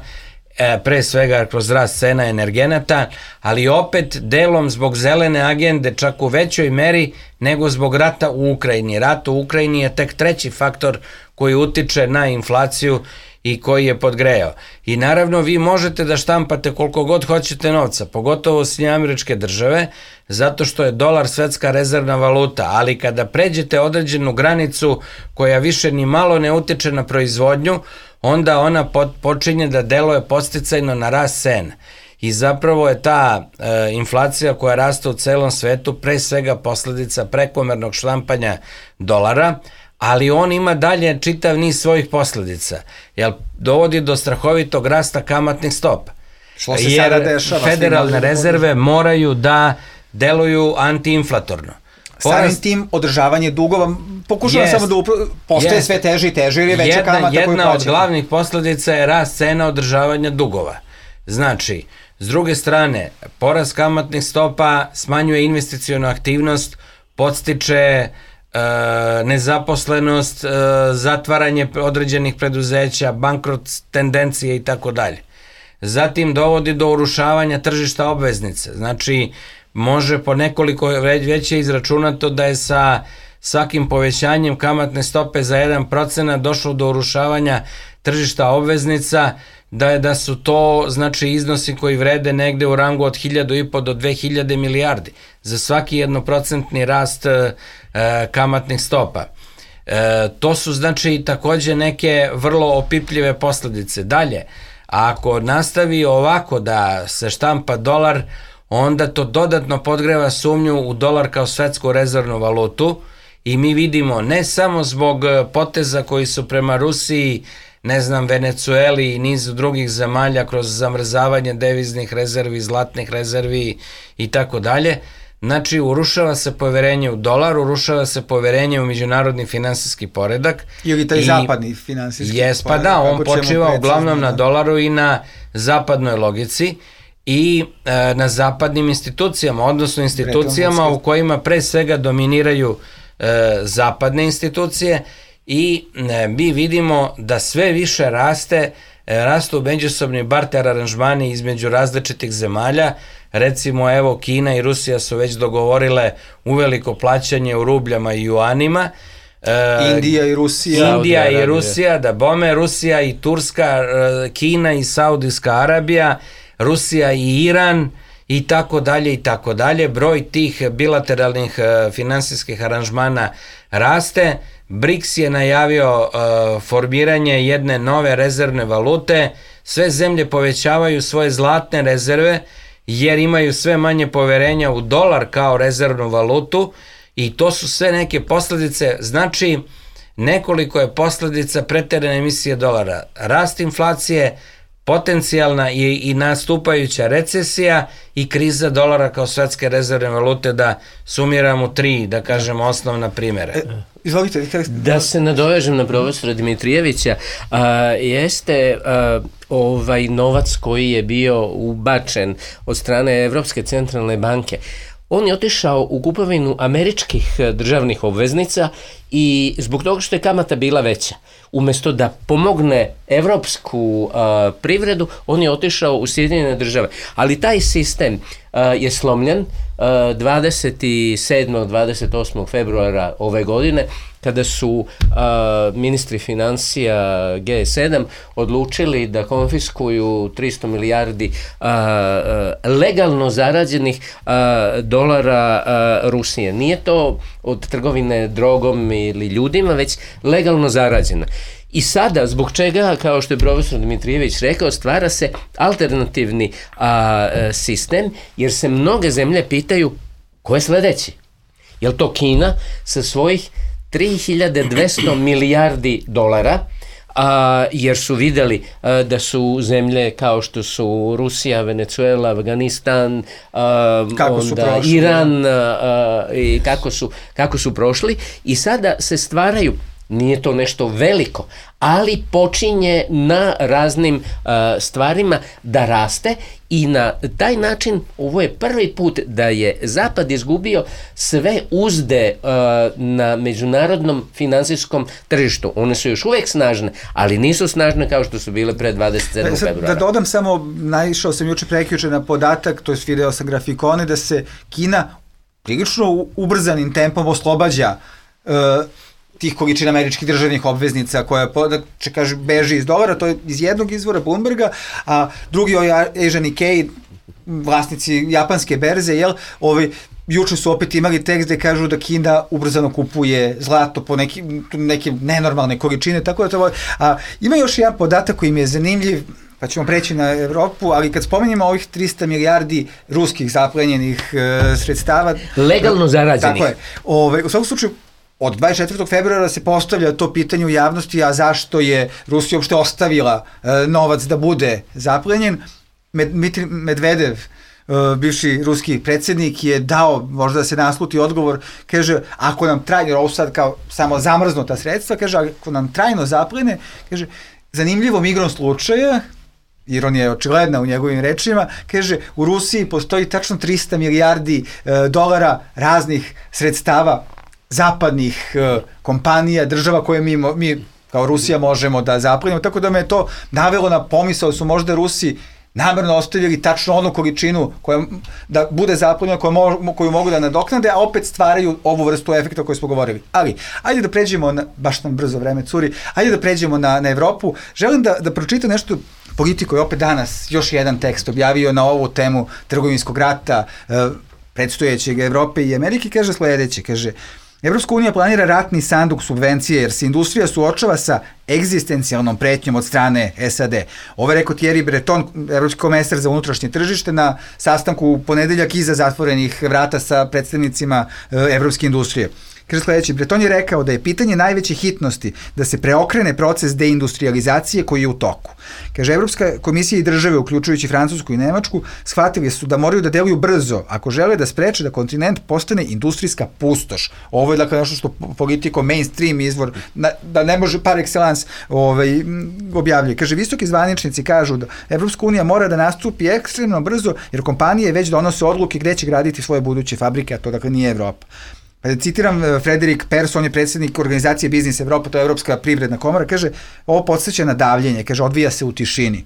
pre svega kroz rast cena energenata, ali opet delom zbog zelene agende čak u većoj meri nego zbog rata u Ukrajini. Rat u Ukrajini je tek treći faktor koji utiče na inflaciju i koji je podgrejao. I naravno vi možete da štampate koliko god hoćete novca, pogotovo Sjedinjene Američke Države, zato što je dolar svetska rezervna valuta, ali kada pređete određenu granicu koja više ni malo ne utiče na proizvodnju, onda ona počinje da deluje podsticajno na rast cena. I zapravo je ta inflacija koja raste u celom svetu pre svega posledica prekomernog štampanja dolara, ali on ima dalje čitav niz svojih posledica, jer dovodi do strahovitog rasta kamatnih stopa. Što se sada dešava? Federalne rezerve moraju da deluju antiinflatorno. Samim tim održavanje dugova, pokušavam samo da postoje sve teže i teže, jer je veća kamata koju plaćate. Jedna od glavnih posledica je rast cena održavanja dugova. Znači, s druge strane, porast kamatnih stopa smanjuje investicionu aktivnost, podstiče nezaposlenost, zatvaranje određenih preduzeća, bankrot tendencije i tako dalje. Zatim dovodi do urušavanja tržišta obveznice. Znači, može po nekoliko već je izračunato da je sa svakim povećanjem kamatne stope za 1% došlo do urušavanja tržišta obveznica, da su to znači iznosi koji vrede negde u rangu od 1.500 do 2.000 milijardi za svaki 1% rast kamatnih stopa. To su znači takođe neke vrlo opipljive posledice. Dalje, ako nastavi ovako da se štampa dolar, onda to dodatno podgreva sumnju u dolar kao svetsku rezervnu valutu i mi vidimo ne samo zbog poteza koji su prema Rusiji, ne znam, Venecueli i nizu drugih zemalja kroz zamrzavanje deviznih rezervi, zlatnih rezervi i tako dalje. Znači, urušava se poverenje u dolar, urušava se poverenje u međunarodni finansijski poredak. Ili taj zapadni finansijski poredak. Pa da, on počiva uglavnom na dolaru i na zapadnoj logici i na zapadnim institucijama, odnosno institucijama u kojima pre svega dominiraju zapadne institucije i mi vidimo da sve više rastu međusobni barter aranžmani između različitih zemalja. Recimo, evo, Kina i Rusija su već dogovorile uveliko plaćanje u rubljama i juanima. Indija i Rusija, da bome, Rusija i Turska, Kina i Saudijska Arabija, Rusija i Iran i tako dalje i tako dalje. Broj tih bilateralnih finansijskih aranžmana raste. BRICS je najavio formiranje jedne nove rezervne valute. Sve zemlje povećavaju svoje zlatne rezerve jer imaju sve manje poverenja u dolar kao rezervnu valutu i to su sve neke posledice. Znači, nekoliko je posledica preterane emisije dolara. Rast inflacije, potencijalna i nastupajuća recesija i kriza dolara kao svetske rezervne valute, da sumiramo 3, da kažemo, osnovna primjera. Izvolite. Da se nadovežem na profesora Dimitrijevića, jeste ovaj novac koji je bio ubačen od strane Evropske centralne banke. On je otišao u kupovinu američkih državnih obveznica i zbog toga što je kamata bila veća. Umesto da pomogne evropsku privredu, on je otišao u Sjedinjene Države. Ali taj sistem je slomljen 27. 28. februara ove godine, kada su ministri financija G7 odlučili da konfiskuju 300 milijardi legalno zarađenih dolara Rusije. Nije to od trgovine drogom ili ljudima, već legalno zarađena. I sada, zbog čega, kao što je profesor Dimitrijević rekao, stvara se alternativni sistem, jer se mnoge zemlje pitaju ko je sledeći. Je li to Kina sa svojih 3200 milijardi dolara, jer su videli da su zemlje kao što su Rusija, Venecuela, Afganistan, onda Iran i kako su prošli, i sada se stvaraju, nije to nešto veliko, ali počinje na raznim stvarima da raste i na taj način ovo je prvi put da je Zapad izgubio sve uzde na međunarodnom finansijskom tržištu. One su još uvek snažne, ali nisu snažne kao što su bile pre 27. februara. Da dodam samo, naišao sam prekjuče na podatak, to je video sa grafikone, da se Kina prilično ubrzanim tempom oslobađa tih količina američkih državnih obveznica koja kaže beži iz dolara, to je iz jednog izvora Bloomberga, a drugi Asian Nikkei, vlasnici japanske berze, juče su opet imali tekst gde kažu da Kina ubrzano kupuje zlato po neke nenormalne količine, tako da to ima još jedan podatak koji mi je zanimljiv, pa ćemo preći na Evropu, ali kad spomenjamo ovih 300 milijardi ruskih zaplenjenih sredstava... Legalno zarađenih. Tako je. U svakom slučaju, od 24. februara se postavlja to pitanje u javnosti, a zašto je Rusija uopšte ostavila novac da bude zaplenjen. Medvedev, bivši ruski predsjednik, je dao, možda da se nasluti odgovor, kaže, ako nam trajno, ovo sad kao samo zamrznuta sredstva, kaže, ako nam trajno zaplene, kaže, zanimljivom igrom slučaja, ironija je očigledna u njegovim rečima, kaže, u Rusiji postoji tačno 300 milijardi dolara raznih sredstava zapadnih kompanija, država koje mi kao Rusija možemo da zaplenimo, tako da me to navelo na pomisao da su možda Rusi namerno ostavili tačno onu količinu da bude zaplenjena koju mogu da nadoknade, a opet stvaraju ovu vrstu efekta o kojoj smo govorili. Ali, ajde da pređemo, baš nam brzo vreme curi, ajde da pređemo na Evropu. Želim da pročitam nešto. Politiko je opet danas još jedan tekst objavio na ovu temu trgovinskog rata predstojećeg Evrope i Amerike, kaže sledeće, kaže, Evropska unija planira ratni sanduk subvencije jer se industrija suočava sa egzistencijalnom pretnjom od strane SAD. Ovo je rekao Thierry Breton, evropski komesar za unutrašnje tržište, na sastanku u ponedeljak iza zatvorenih vrata sa predstavnicima evropske industrije. Kaže sledeći, Breton je rekao da je pitanje najveće hitnosti da se preokrene proces deindustrializacije koji je u toku. Kaže, Evropska komisija i države, uključujući Francusku i Nemačku, shvatili su da moraju da deluju brzo ako žele da spreče da kontinent postane industrijska pustoš. Ovo je dakle nešto što politiko mainstream izvor, da ne može par excellence objavljuje. Kaže, visoki zvaničnici kažu da Evropska unija mora da nastupi ekstremno brzo jer kompanije već donose odluke gde će graditi svoje buduće fabrike, a to dakle nije Evropa. Pa citiram Frederik Pers, on je predsjednik organizacije Biznis Evropa, to je Evropska privredna komora, kaže, ovo podsjeća na davljenje, kaže, odvija se u tišini.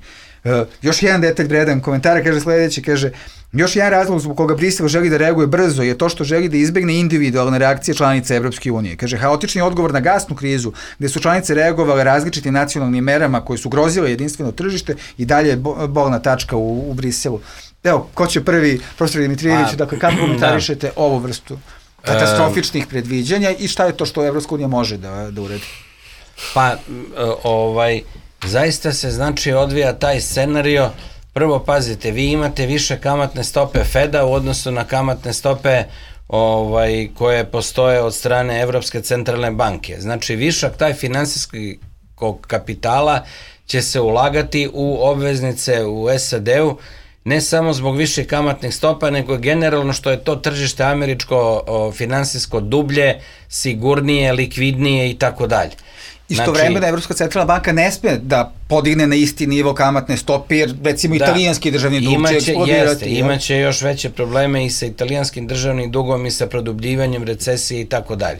Još jedan detalj vredan komentara, kaže sledeći, kaže, još jedan razlog zbog koga Brisel želi da reaguje brzo je to što želi da izbegne individualne reakcije članica Evropske unije. Kaže, haotični odgovor na gasnu krizu, gde su članice reagovale različitim nacionalnim merama koje su grozile jedinstveno tržište i dalje je bolna tačka u Briselu. Evo, ko će prvi, profesor Dimitrijević, dakle, kako komentarišete ovu vrstu katastrofičnih predviđanja i šta je to što Evropska unija može da uredi? Pa, zaista se znači odvija taj scenario. Prvo, pazite, vi imate više kamatne stope Feda u odnosu na kamatne stope koje postoje od strane Evropske centralne banke. Znači, višak taj finansijskog kapitala će se ulagati u obveznice u SAD-u, ne samo zbog više kamatnih stopa, nego generalno što je to tržište američko finansijsko dublje, sigurnije, likvidnije i tako dalje. Istovremeno Evropska centralna banka ne sme da podigne na isti nivo kamatne stope, jer recimo italijanski državni dug će eksplodirati. Imaće još veće probleme i sa italijanskim državnim dugom i sa produbljivanjem recesije i tako dalje.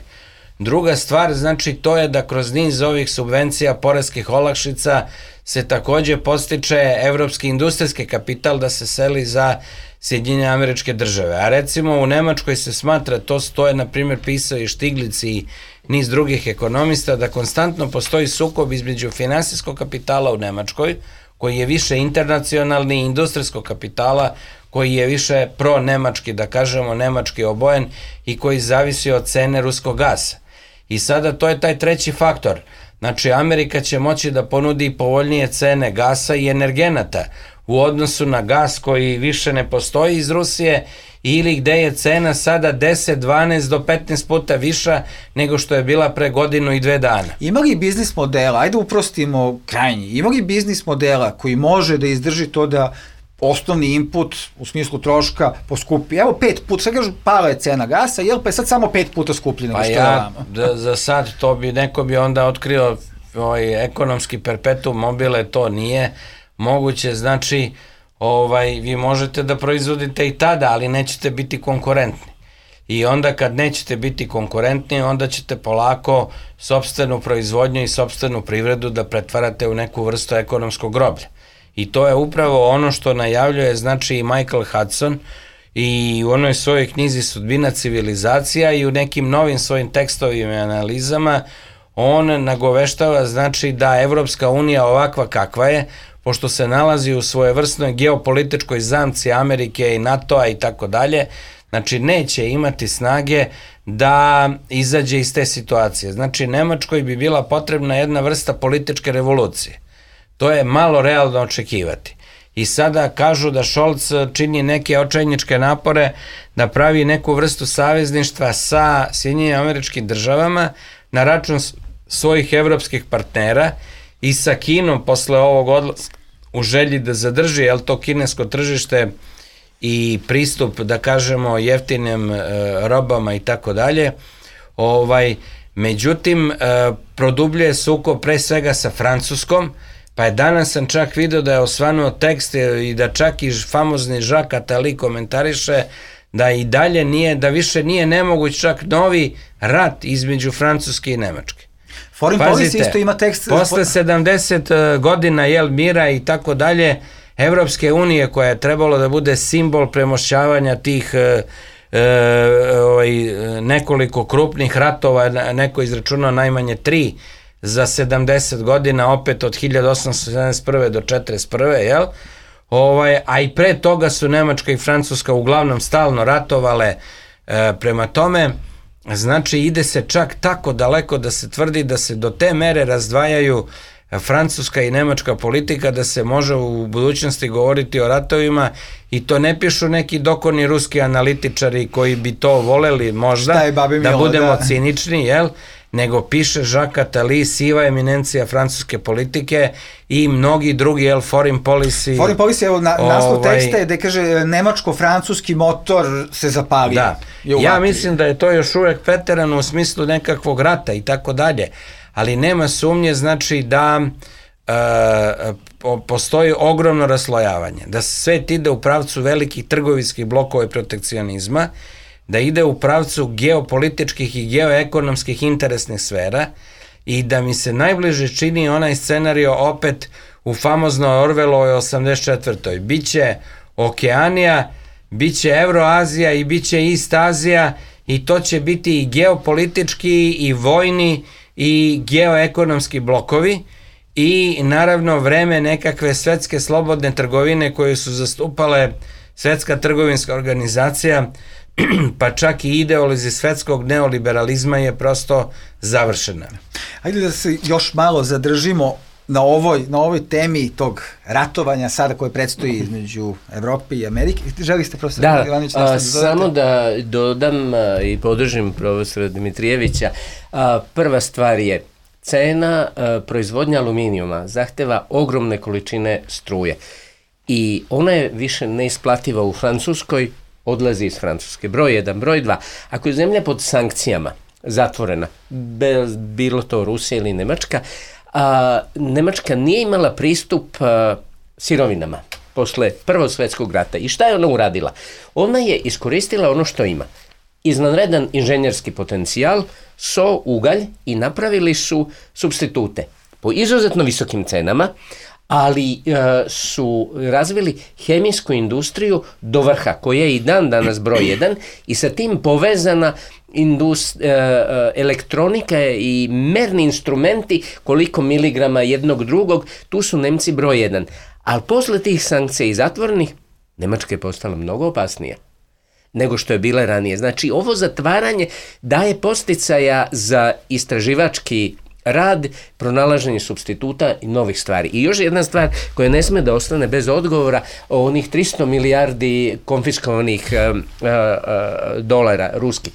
Druga stvar, znači, to je da kroz niz ovih subvencija, poreskih olakšica se takođe postiče evropski industrijski kapital da se seli za Sjedinjene Američke Države. A recimo u Nemačkoj se smatra, to je na primjer pisao i Štiglic i niz drugih ekonomista, da konstantno postoji sukob između finansijskog kapitala u Nemačkoj, koji je više internacionalni, industrijskog kapitala, koji je više pro-nemački, da kažemo, nemački obojen i koji zavisi od cene ruskog gasa. I sada to je taj treći faktor. Znači, Amerika će moći da ponudi povoljnije cene gasa i energenata u odnosu na gas koji više ne postoji iz Rusije ili gde je cena sada 10, 12 do 15 puta viša nego što je bila pre godinu i 2 dana. Ima li biznis modela, ajde uprostimo krajnji, ima li biznis modela koji može da izdrži to da osnovni input u smislu troška poskupi? Evo 5 puta, sad kažu pala je cena gasa, jel pa je sad samo 5 puta skuplji nego što je ovamo? Za sad to neko bi onda otkrio ekonomski perpetuum mobile to nije moguće, znači vi možete da proizvodite i tada, ali nećete biti konkurentni. I onda kad nećete biti konkurentni, onda ćete polako sopstvenu proizvodnju i sopstvenu privredu da pretvarate u neku vrstu ekonomskog groblja. I to je upravo ono što najavljuje, znači, i Michael Hudson i u onoj svojoj knjizi Sudbina civilizacija i u nekim novim svojim tekstovima i analizama on nagoveštava, znači, da Evropska unija ovakva kakva je, pošto se nalazi u svojevrsnoj geopolitičkoj zamci Amerike i NATO-a i tako dalje, znači neće imati snage da izađe iz te situacije. Znači Nemačkoj bi bila potrebna jedna vrsta političke revolucije. To je malo realno očekivati. I sada kažu da Scholz čini neke očajničke napore da pravi neku vrstu savezništva sa Sjedinjenim Američkim Državama na račun svojih evropskih partnera i sa Kinom posle ovog odlaska u želji da zadrži to kinesko tržište i pristup, da kažemo, jeftinim robama i tako dalje. Međutim, produbljuje sukob pre svega sa Francuskom, pa je danas sam čak video da je osvanuo tekst i da čak i famozni Jacques Attali komentariše da i dalje nije, da više nije nemoguć čak novi rat između Francuske i Nemačke. Foreign Policy isto ima tekst. Posle 70 godina mira i tako dalje, Evropske unije koja je trebalo da bude simbol premošćavanja tih nekoliko krupnih ratova, neko izračunao najmanje 3 za 70 godina, opet od 1871. do 41. A i pre toga su Nemačka i Francuska uglavnom stalno ratovale, prema tome, znači ide se čak tako daleko da se tvrdi da se do te mere razdvajaju francuska i nemačka politika da se može u budućnosti govoriti o ratovima i to ne pišu neki dokorni ruski analitičari koji bi to voleli možda, da budemo cinični, nego piše Jacques Attali, siva eminencija francuske politike i mnogi drugi, Foreign Policy. Foreign Policy, evo, naslov teksta je da kaže nemačko-francuski motor se zapalio. Da, ja mislim da je to još uvek preterano u smislu nekakvog rata i tako dalje, ali nema sumnje, znači, da postoji ogromno raslojavanje, da svet ide u pravcu velikih trgovinskih blokova i protekcionizma, da ide u pravcu geopolitičkih i geoekonomskih interesnih sfera i da mi se najbliže čini onaj scenario opet u famoznoj Orwellovoj 84. Biće Okeanija, biće Evroazija i biće East Azija i to će biti i geopolitički i vojni i geoekonomski blokovi i naravno vreme nekakve svetske slobodne trgovine koje su zastupale Svetska trgovinska organizacija, pa čak i ideolozi svetskog neoliberalizma je prosto završena. Ajde da se još malo zadržimo na ovoj temi tog ratovanja sada koje predstoji između Evrope i Amerike. Želi ste, profesor Ivanović, nešto da dodate? Samo da dodam i podržim profesora Dimitrijevića. Prva stvar je cena proizvodnja aluminijuma zahteva ogromne količine struje i ona je više neisplativa u Francuskoj, odlazi iz Francuske. Broj 1. Broj 2. Ako je zemlja pod sankcijama zatvorena, bilo to Rusija ili Nemačka, Nemačka nije imala pristup sirovinama posle Prvog svjetskog rata. I šta je ona uradila? Ona je iskoristila ono što ima. Izvanredan inženjerski potencijal, so, ugalj i napravili su supstitute po izuzetno visokim cenama, ali su razvili hemijsku industriju do vrha, koja je i dan danas broj 1 i sa tim povezana elektronika i merni instrumenti, koliko miligrama jednog drugog, tu su Nemci broj 1. Ali posle tih sankcija i zatvornih, Nemačka je postala mnogo opasnija nego što je bila ranije. Znači, ovo zatvaranje daje podsticaja za istraživački rad, pronalaženje supstituta i novih stvari. I još jedna stvar koja ne sme da ostane bez odgovora, o onih 300 milijardi konfiskovanih dolara ruskih.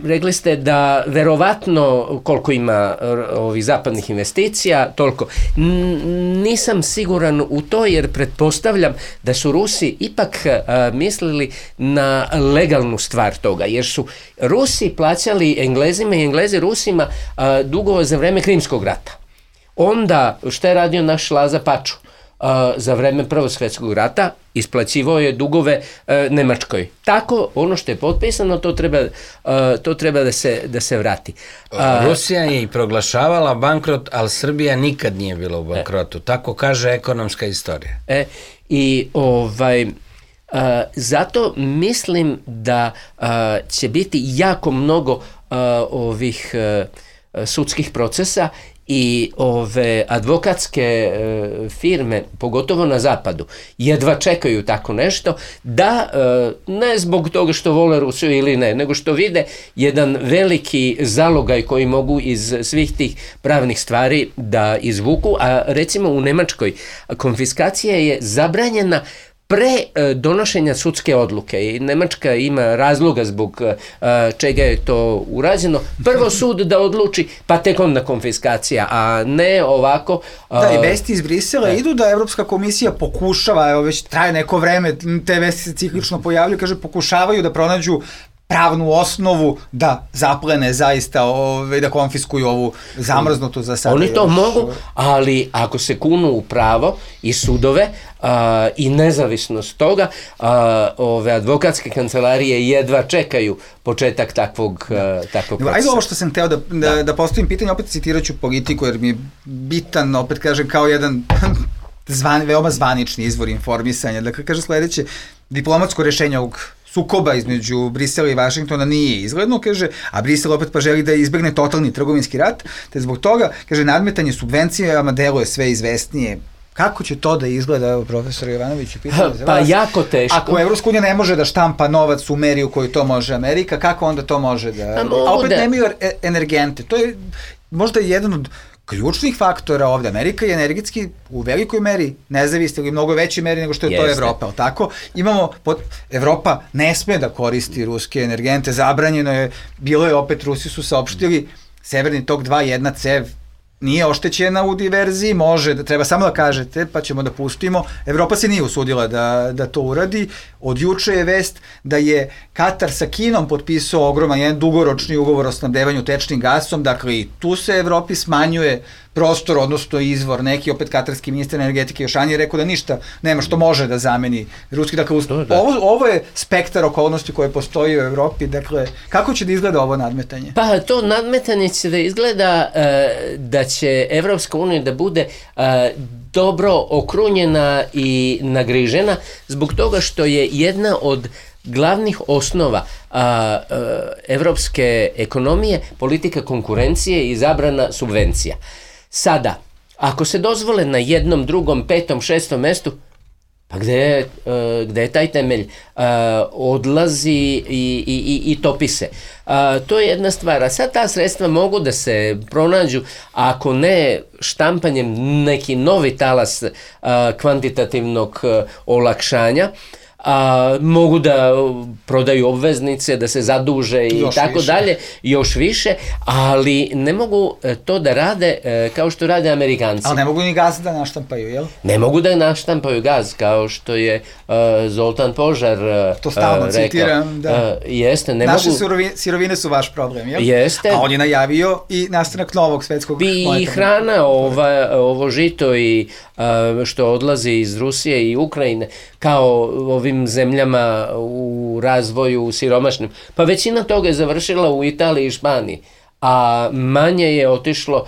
Rekli ste da verovatno koliko ima ovih zapadnih investicija, toliko. Nisam siguran u to jer pretpostavljam da su Rusi ipak mislili na legalnu stvar toga, jer su Rusi plaćali Englezima i Englezi Rusima dugove za vreme Krimskog rata. Onda, što je radio naš Laza Paču? Za vreme Prvog svjetskog rata isplaćivao je dugove Nemačkoj. Tako, ono što je potpisano, to treba da se vrati. Rusija je i proglašavala bankrot, ali Srbija nikad nije bila u bankrotu. Tako kaže ekonomska istorija. Zato mislim da će biti jako mnogo ovih sudskih procesa i ove advokatske firme, pogotovo na zapadu, jedva čekaju tako nešto, da ne zbog toga što vole Rusiju ili ne, nego što vide jedan veliki zalogaj koji mogu iz svih tih pravnih stvari da izvuku, a recimo u Nemačkoj konfiskacija je zabranjena pre donošenja sudske odluke i Nemačka ima razloga zbog čega je to urađeno. Prvo sud da odluči, pa tek onda konfiskacija, a ne ovako. Da, i vesti iz Brisela idu da Evropska komisija pokušava, evo već traje neko vreme, te vesti se ciklično pojavljaju, kaže pokušavaju da pronađu pravnu osnovu da zaplene zaista, da konfiskuju ovu zamrznutu za sada. Oni to mogu, ali ako se kunu u pravo i sudove i nezavisnost toga, ove advokatske kancelarije jedva čekaju početak takvog procesa. Ajde ovo što sam hteo da postavim pitanje, opet citirat ću Politiku jer mi je bitan, opet kažem, kao jedan veoma zvanični izvor informisanja. Dakle, kaže sledeće, diplomatsko rešenje ovog sukoba između Brisela i Vašingtona nije izgledno, kaže, a Brisel opet pa želi da izbegne totalni trgovinski rat, te zbog toga, kaže, nadmetanje subvencijama deluje sve izvesnije. Kako će to da izgleda, evo, profesor Jovanović, pitanje za vas? Pa jako teško. Ako Evropska unija ne može da štampa novac u meri u kojoj to može Amerika, kako onda to može da... A opet nemaju energente. To je možda jedan od ključnih faktora ovde. Amerika je energetski u velikoj meri nezavisna ili mnogo većoj meri nego što je to Evropa, ali tako? Evropa ne sme da koristi ruske energente, zabranjeno je, bilo je opet, Rusi su saopštili, Severni tok 2, jedna cev, nije oštećena u diverziji, može, da treba samo da kažete, pa ćemo da pustimo. Evropa se nije usudila da to uradi. Od juče je vest da je Katar sa Kinom potpisao ogroman jedan dugoročni ugovor o snabdevanju tečnim gasom, dakle i tu se Evropi smanjuje prostor, odnosno izvor. Neki, opet katarski ministar energetike Jošani je rekao da ništa nema što može da zameni ruski. Dakle, ovo je spektar okolnosti koje postoji u Evropi. Dakle, kako će da izgleda ovo nadmetanje? Pa to nadmetanje će da izgleda da će Evropska unija da bude dobro okrunjena i nagrižena zbog toga što je jedna od glavnih osnova evropske ekonomije politika konkurencije i zabrana subvencija. Sada, ako se dozvole na jednom, drugom, petom, šestom mestu, pa gde je taj temelj? Odlazi i topi se. To je jedna stvar. A sad ta sredstva mogu da se pronađu, ako ne štampanjem neki novi talas kvantitativnog olakšanja, mogu da prodaju obveznice, da se zaduže i tako dalje, još više, ali ne mogu to da rade kao što rade Amerikanci. Ali ne mogu ni gaz da naštampaju, jel? Ne mogu da naštampaju gaz, kao što je Zoltan Požar to stalno citiram, da. Jeste, ne naše mogu... sirovine su vaš problem, jel? Jeste. A on je najavio i nastanak novog svetskog monetarnog. I hrana, ovo žito i što odlazi iz Rusije i Ukrajine, kao ovim zemljama u razvoju siromašnim. Pa većina toga je završila u Italiji i Španiji, a manje je otišlo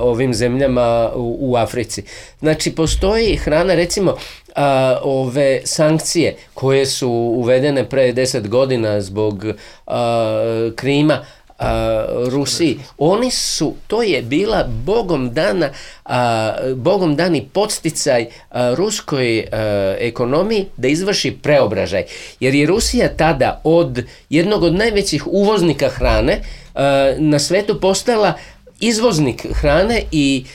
ovim zemljama u Africi. Znači, postoji hrana, recimo, ove sankcije koje su uvedene pre 10 godina zbog Krima, Rusiji, to je bila bogom dani podsticaj ruskoj ekonomiji da izvrši preobražaj. Jer je Rusija tada od jednog od najvećih uvoznika hrane na svetu postala izvoznik hrane i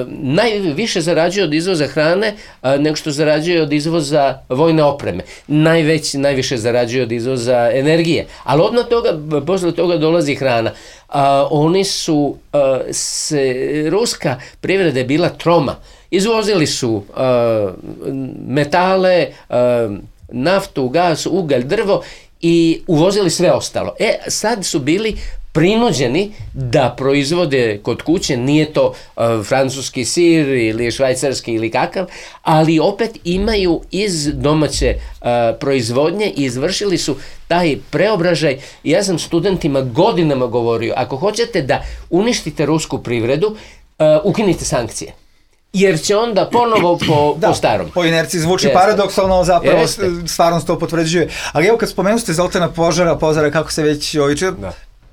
najviše zarađuje od izvoza hrane nego što zarađuje od izvoza vojne opreme. Najviše zarađuje od izvoza energije. Ali odmah posle toga dolazi hrana. Oni su, ruska privreda je bila troma. Izvozili su metale, naftu, gas, ugalj, drvo i uvozili sve ostalo. Sad su bili prinuđeni da proizvode kod kuće, nije to francuski sir ili švajcarski ili kakav, ali opet imaju iz domaće proizvodnje i izvršili su taj preobražaj. Ja sam studentima godinama govorio, ako hoćete da uništite rusku privredu, ukinite sankcije. Jer će onda ponovo po starom. Po inerciji zvuči paradoksalno, zapravo stvarnost to potvrđuje. Ali evo kad spomenu ste Zoltana Pozara, kako se već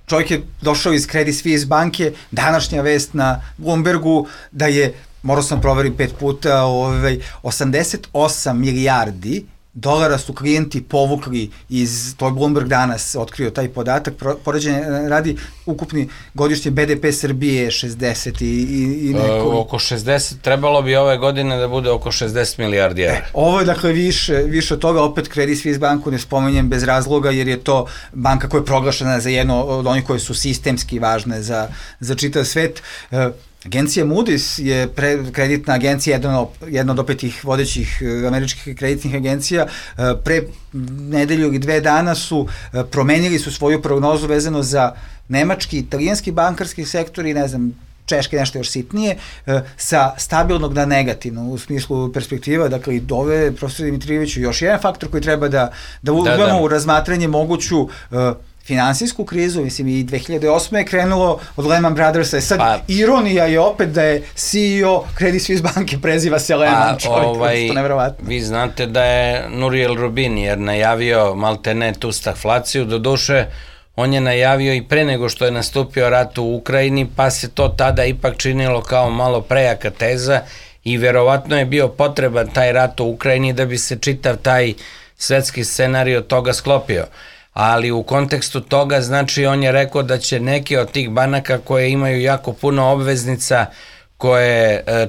čovjek je došao iz Credit Suisse banke, današnja vest na Bloombergu da je, morao sam proverim 5 puta, 88 milijardi dolara su klijenti povukli iz, to je Bloomberg danas otkrio taj podatak, poređenje radi ukupni godišnji BDP Srbije 60 i neko. Oko 60, trebalo bi ove godine da bude oko 60 milijardi evra. Ovo je dakle više od toga, opet Credit Suisse banku ne spominjem bez razloga jer je to banka koja je proglašena za jedno od onih koje su sistemski važne za čitav svet. Agencija Moody's je kreditna agencija, jedna od opet tih vodećih američkih kreditnih agencija. Pre nedelju ili 2 dana su promenili su svoju prognozu vezano za nemački, italijanski bankarski sektor i ne znam, češke nešto još sitnije, sa stabilnog na negativno u smislu perspektiva. Dakle, i dove, profesor Dimitrijeviću, još jedan faktor koji treba da uzmemo u razmatranje moguću finansijsku krizu, mislim i 2008. je krenulo od Lehman Brothersa. Sad, ironija je opet da je CEO Credit Suisse banke preziva se Lehman, čovjek, to nevjerovatno. Vi znate da je Nouriel Roubini jer najavio maltene tu stagflaciju, doduše on je najavio i pre nego što je nastupio rat u Ukrajini, pa se to tada ipak činilo kao malo prejaka teza i verovatno je bio potreban taj rat u Ukrajini da bi se čitav taj svetski scenario toga sklopio. Ali u kontekstu toga, znači, on je rekao da će neke od tih banaka koje imaju jako puno obveznica,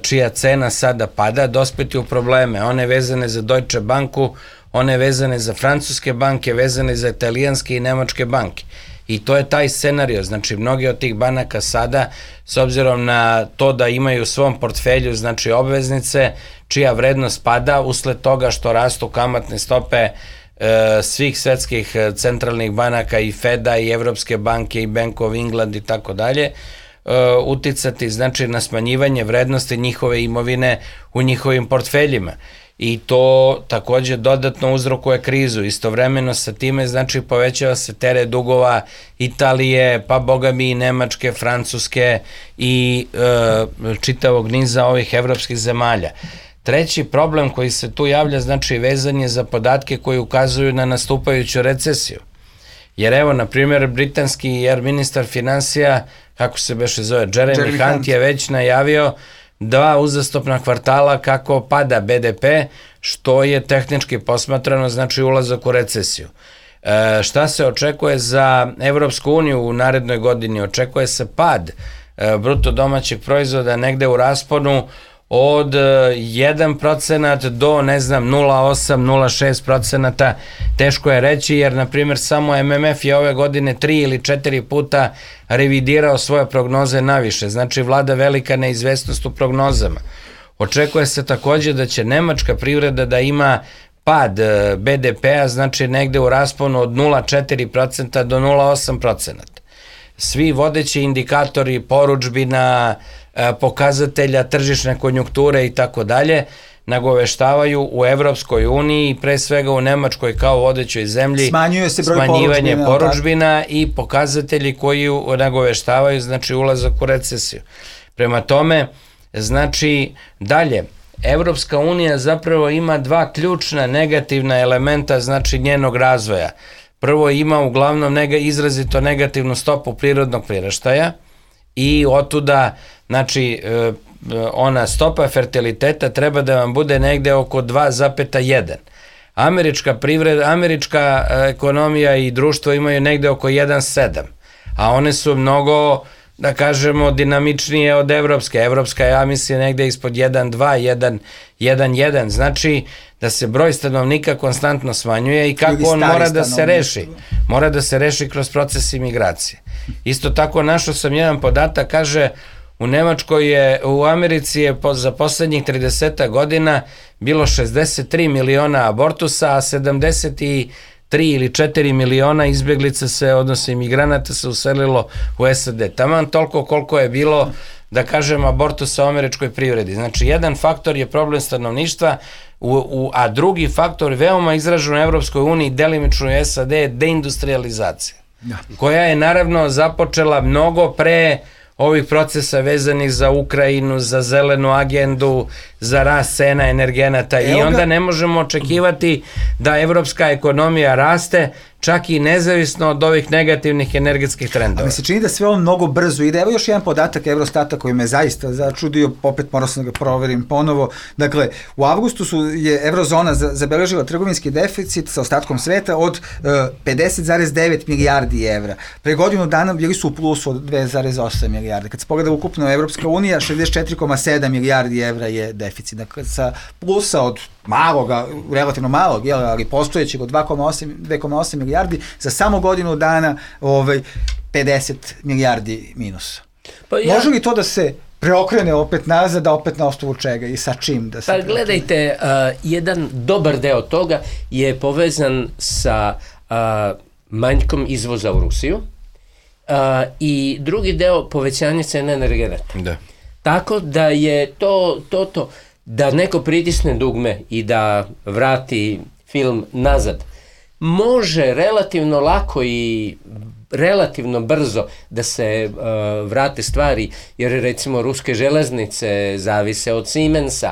čija cena sada pada, dospeti u probleme. One vezane za Deutsche Banku, one vezane za francuske banke, vezane za italijanske i nemačke banke. I to je taj scenario. Znači, mnogi od tih banaka sada, s obzirom na to da imaju u svom portfelju, znači, obveznice, čija vrednost pada usled toga što rastu kamatne stope svih svetskih centralnih banaka i Feda i Evropske banke i Bank of England i tako dalje, uticati znači na smanjivanje vrednosti njihove imovine u njihovim portfeljima. I to takođe dodatno uzrokuje krizu. Istovremeno sa time znači povećava se teret dugova Italije, pa boga mi i Nemačke, Francuske i čitavog niza ovih evropskih zemalja. Treći problem koji se tu javlja, znači vezan je za podatke koji ukazuju na nastupajuću recesiju. Jer evo, na primjer, britanski ministar finansija, kako se beše zove, Jeremy Hunt je već najavio 2 uzastopna kvartala kako pada BDP, što je tehnički posmatrano, znači ulazak u recesiju. Šta se očekuje za Evropsku uniju u narednoj godini? Očekuje se pad bruto domaćeg proizvoda negde u rasponu od 1% do, ne znam, 0,8, 0,6%, teško je reći, jer, na primjer, samo MMF je ove godine 3 ili 4 puta revidirao svoje prognoze naviše, znači vlada velika neizvesnost u prognozama. Očekuje se takođe da će nemačka privreda da ima pad BDP-a, znači negde u rasponu od 0,4% do 0,8%. Svi vodeći indikatori porudžbina, pokazatelja tržišne konjunkture i tako dalje nagoveštavaju u Evropskoj uniji, pre svega u Nemačkoj kao vodećoj zemlji, smanjivanje porudžbina i pokazatelji koji nagoveštavaju znači ulazak u recesiju. Prema tome, znači dalje, Evropska unija zapravo ima 2 ključna negativna elementa znači njenog razvoja. Prvo, ima uglavnom izrazito negativnu stopu prirodnog priraštaja i otuda, znači, ona stopa fertiliteta treba da vam bude negde oko 2,1. Američka ekonomija i društvo imaju negde oko 1,7, a one su mnogo da kažemo, dinamičnije od evropske. Evropska je, ja mislim, negde ispod 1,2, 1,1. Znači da se broj stanovnika konstantno smanjuje i kako on mora da se reši. Mora da se reši kroz proces imigracije. Isto tako našao sam jedan podatak, kaže, u Americi je za poslednjih 30 godina bilo 63 miliona abortusa, a 73 ili 4 miliona izbeglica odnosno imigranata se uselilo u SAD. Taman toliko koliko je bilo, da kažem, abortusa u američkoj privredi. Znači, jedan faktor je problem stanovništva, a drugi faktor, veoma izražen u Evropskoj uniji, delimično u SAD, je deindustrializacija, koja je naravno započela mnogo pre ovih procesa vezanih za Ukrajinu, za zelenu agendu, za rast cena energenata i onda ne možemo očekivati da evropska ekonomija raste čak i nezavisno od ovih negativnih energetskih trendova. A mi se čini da sve ovo mnogo brzo ide. Evo još jedan podatak Eurostata koji me zaista začudio, opet morao sam da ga proverim ponovo. Dakle, u avgustu je Eurozona zabeležila trgovinski deficit sa ostatkom sveta od 50,9 milijardi evra. Pre godinu dana bili su u plusu od 2,8 milijarde. Kad se pogleda ukupno Evropska unija, 64,7 milijardi evra je deficit. Dakle, sa plusa od maloga, relativno malog, ali postojećeg od 2,8 milijardi, za samo godinu dana 50 milijardi minusa. Može li to da se preokrene opet nazad, a opet na osnovu čega i sa čim da se preokrene? Gledajte, jedan dobar deo toga je povezan sa manjkom izvoza u Rusiju i drugi deo povećanje cene energenata. Da. Tako da je to da neko pritisne dugme i da vrati film nazad, može relativno lako i relativno brzo da se vrate stvari, jer recimo ruske železnice zavise od Siemensa,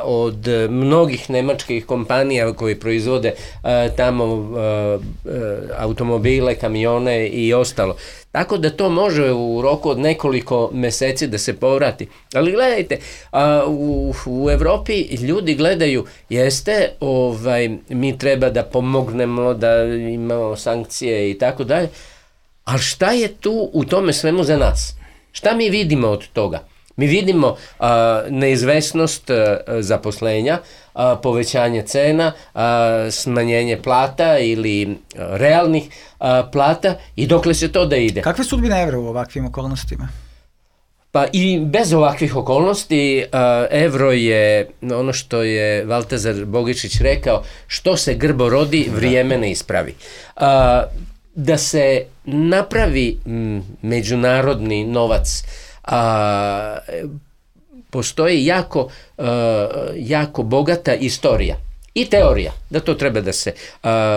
od mnogih nemačkih kompanija koji proizvode tamo automobile, kamione i ostalo. Tako da to može u roku od nekoliko meseci da se povrati. Ali gledajte, u Evropi ljudi gledaju, jeste, mi treba da pomognemo, da imamo sankcije i tako dalje, ali šta je tu u tome svemu za nas? Šta mi vidimo od toga? Mi vidimo neizvesnost zaposlenja, povećanje cena, smanjenje plata ili realnih plata i dokle se to da ide. Kakve sudbine evra u ovakvim okolnostima? Pa i bez ovakvih okolnosti evro je ono što je Valtazar Bogišić rekao, što se grbo rodi, vrijeme ne ispravi. Da se napravi međunarodni novac, postoji jako bogata istorija i teorija da to treba da se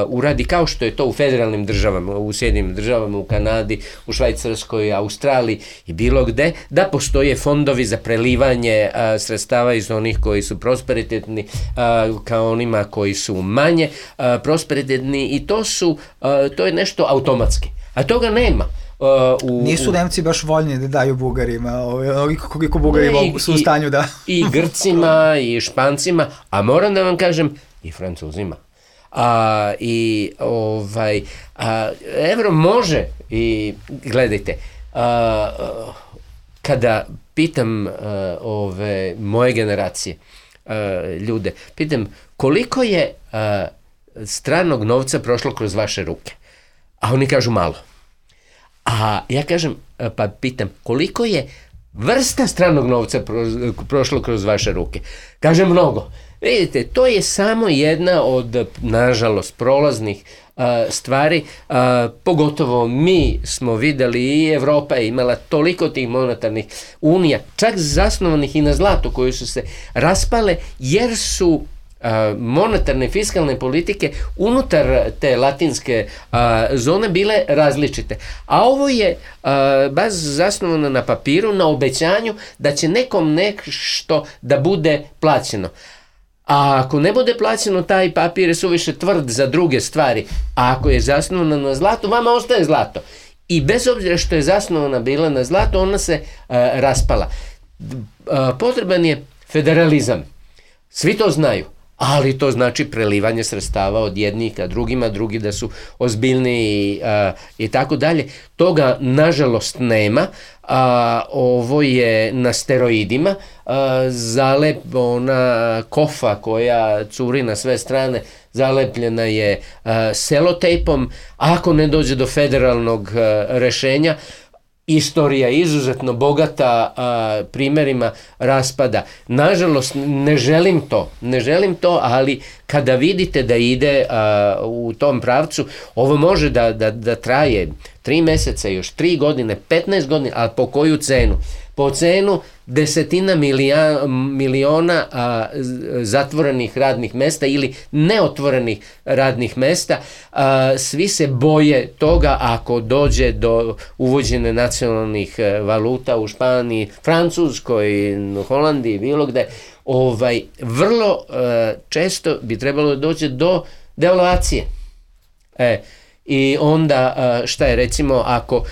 uradi kao što je to u federalnim državama, u Sjedinim državama, u Kanadi, u Švajcarskoj, Australiji i bilo gde, da postoje fondovi za prelivanje sredstava iz onih koji su prosperitetni kao onima koji su manje prosperitetni i to je nešto automatski, a toga nema. Nisu Nemci baš voljni da daju Bugarima, koliko Bugari su u stanju da... I Grcima, i Špancima, a moram da vam kažem, i Francuzima. Evro može, i gledajte, kada pitam moje generacije, ljude, pitam koliko je stranog novca prošlo kroz vaše ruke, a oni kažu malo. A ja kažem, pa pitam, koliko je vrsta stranog novca prošlo kroz vaše ruke? Kažem, mnogo. Vidite, to je samo jedna od, nažalost, prolaznih stvari, pogotovo mi smo videli i Evropa je imala toliko tih monetarnih unija, čak zasnovanih i na zlatu, koje su se raspale jer su monetarne fiskalne politike unutar te latinske zone bile različite. A ovo je baš zasnovano na papiru, na obećanju da će nekom nešto da bude plaćeno. A ako ne bude plaćeno, taj papir je suviše tvrd za druge stvari. A ako je zasnovana na zlatu, vama ostaje zlato. I bez obzira što je zasnovana bila na zlatu, ona se raspala. Potreban je federalizam. Svi to znaju. ali to znači prelivanje sredstava od jednih ka drugima, drugi da su ozbiljniji i tako dalje. Toga nažalost nema, ovo je na steroidima, ona kofa koja curi na sve strane zalepljena je selotejpom. Ako ne dođe do federalnog rešenja, istorija je izuzetno bogata primjerima raspada. Nažalost, ne želim to, ali kada vidite da ide u tom pravcu, ovo može da traje 3 meseca, još 3 godine, 15 godina, ali po koju cenu? Po cenu desetina miliona zatvorenih radnih mesta ili neotvorenih radnih mesta. Svi se boje toga ako dođe do uvođenja nacionalnih valuta u Španiji, Francuskoj, Holandiji, bilo gde. Vrlo često bi trebalo doći do devalvacije. I onda šta je, recimo, ako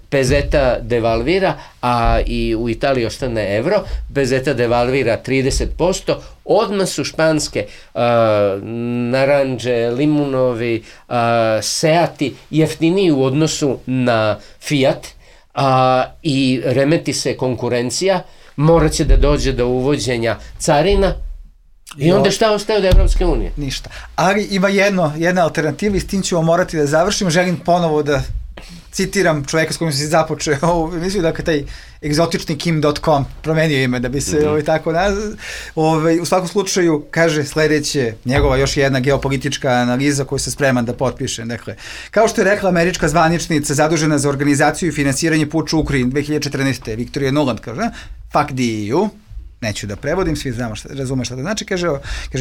pezeta devalvira, a i u Italiji ostane evro, pezeta devalvira 30%, odmah su španske naranđe, limunovi, seati jeftiniji u odnosu na Fiat, i remeti se konkurencija, morat će da dođe do uvođenja carina. I onda šta ostaje od Evropske unije? Ništa. Ali ima jedna alternativa i s tim ćemo morati da završimo. Želim ponovo da citiram čoveka s kojim se započeo ovu emisiju, dakle taj egzotični Kim.com promenio ime da bi se tako nazvao. U svakom slučaju kaže sledeće, njegova još jedna geopolitička analiza koju se spreman da potpiše. Dakle, kao što je rekla američka zvaničnica zadužena za organizaciju i finansiranje puča u Ukrajini 2014. Victoria Nuland, kaže, fuck the EU, neću da prevodim, svi razume šta to znači, kaže,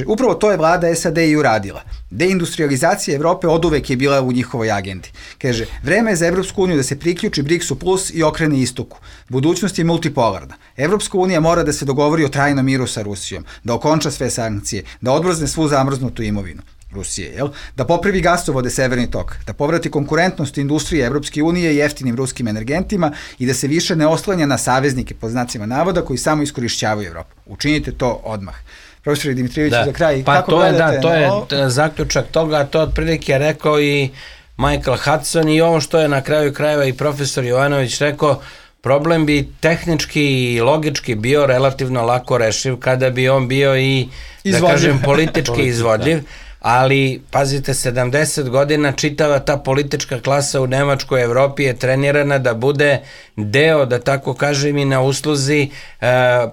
upravo to je vlada SAD i uradila. Deindustrializacija Evrope oduvek je bila u njihovoj agendi. Kaže, vreme je za Evropsku uniju da se priključi BRICS-u plus i okrene istoku. Budućnost je multipolarna. Evropska unija mora da se dogovori o trajnom miru sa Rusijom, da okonča sve sankcije, da odmrzne svu zamrznutu imovinu Rusije, da popravi gasovode Severni tok, da povrati konkurentnost industrije Evropske unije jeftinim ruskim energentima i da se više ne oslanja na saveznike, pod znacima navoda, koji samo iskorišćavaju Evropu. Učinite to odmah. Profesor Dimitrijević, za kraj, kako gledate? To je zaključak toga, to otprilike rekao i Michael Hudson i ovo što je na kraju krajeva i profesor Jovanović rekao, problem bi tehnički i logički bio relativno lako rešiv kada bi on bio i, da kažem, politički izvodljiv. Ali, pazite, 70 godina čitava ta politička klasa u Nemačkoj Evropi je trenirana da bude deo, da tako kažem, i na usluzi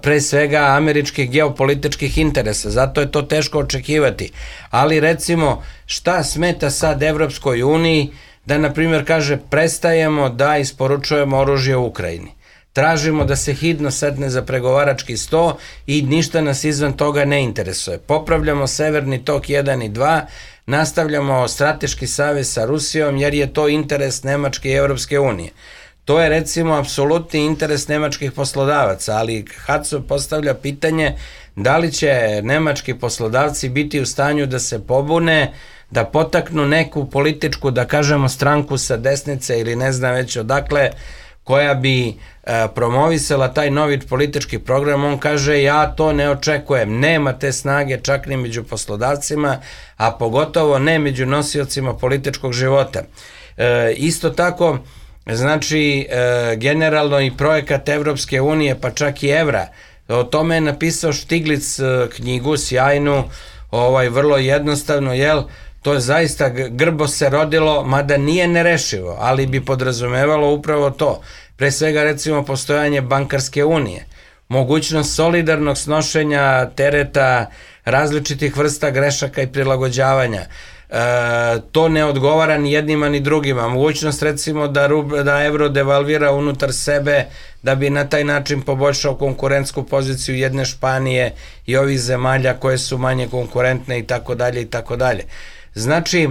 pre svega američkih geopolitičkih interesa. Zato je to teško očekivati. Ali, recimo, šta smeta sad Evropskoj uniji da, na primjer, kaže prestajemo da isporučujemo oružje u Ukrajini. Tražimo da se hitno setne za pregovarački sto i ništa nas izvan toga ne interesuje. Popravljamo Severni tok 1 i 2, nastavljamo strateški savez sa Rusijom jer je to interes Nemačke i Evropske unije. To je, recimo, apsolutni interes nemačkih poslodavaca, ali Hudson postavlja pitanje da li će nemački poslodavci biti u stanju da se pobune, da potaknu neku političku, da kažemo, stranku sa desnice ili ne znam već odakle, koja bi promovisala taj novi politički program. On kaže, ja to ne očekujem, nema te snage čak ni među poslodavcima, a pogotovo ne među nosiocima političkog života. Isto tako, znači, generalno i projekat Evropske unije, pa čak i evra, o tome je napisao Stiglitz knjigu, sjajnu, vrlo jednostavno, to je zaista grbo se rodilo, mada nije nerešivo, ali bi podrazumevalo upravo to. Pre svega, recimo, postojanje bankarske unije, mogućnost solidarnog snošenja tereta različitih vrsta grešaka i prilagođavanja. To ne odgovara ni jednima ni drugima. Mogućnost, recimo, da evro devalvira unutar sebe da bi na taj način poboljšao konkurentsku poziciju jedne Španije i ovih zemalja koje su manje konkurentne i tako dalje i tako dalje. Znači,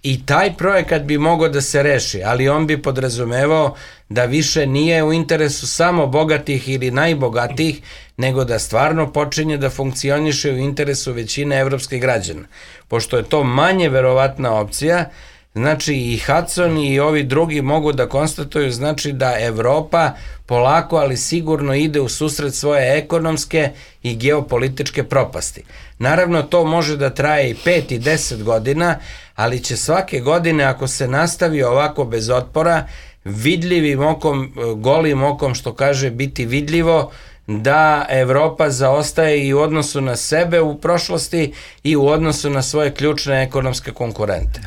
i taj projekat bi mogao da se reši, ali on bi podrazumevao da više nije u interesu samo bogatih ili najbogatijih, nego da stvarno počinje da funkcioniše u interesu većine evropskih građana. Pošto je to manje verovatna opcija, znači i Hudson i ovi drugi mogu da konstatuju, znači da Evropa polako, ali sigurno ide u susret svoje ekonomske i geopolitičke propasti. Naravno, to može da traje i 5 i 10 godina, ali će svake godine, ako se nastavi ovako bez otpora, vidljivim okom, golim okom, što kaže, biti vidljivo da Evropa zaostaje i u odnosu na sebe u prošlosti i u odnosu na svoje ključne ekonomske konkurente.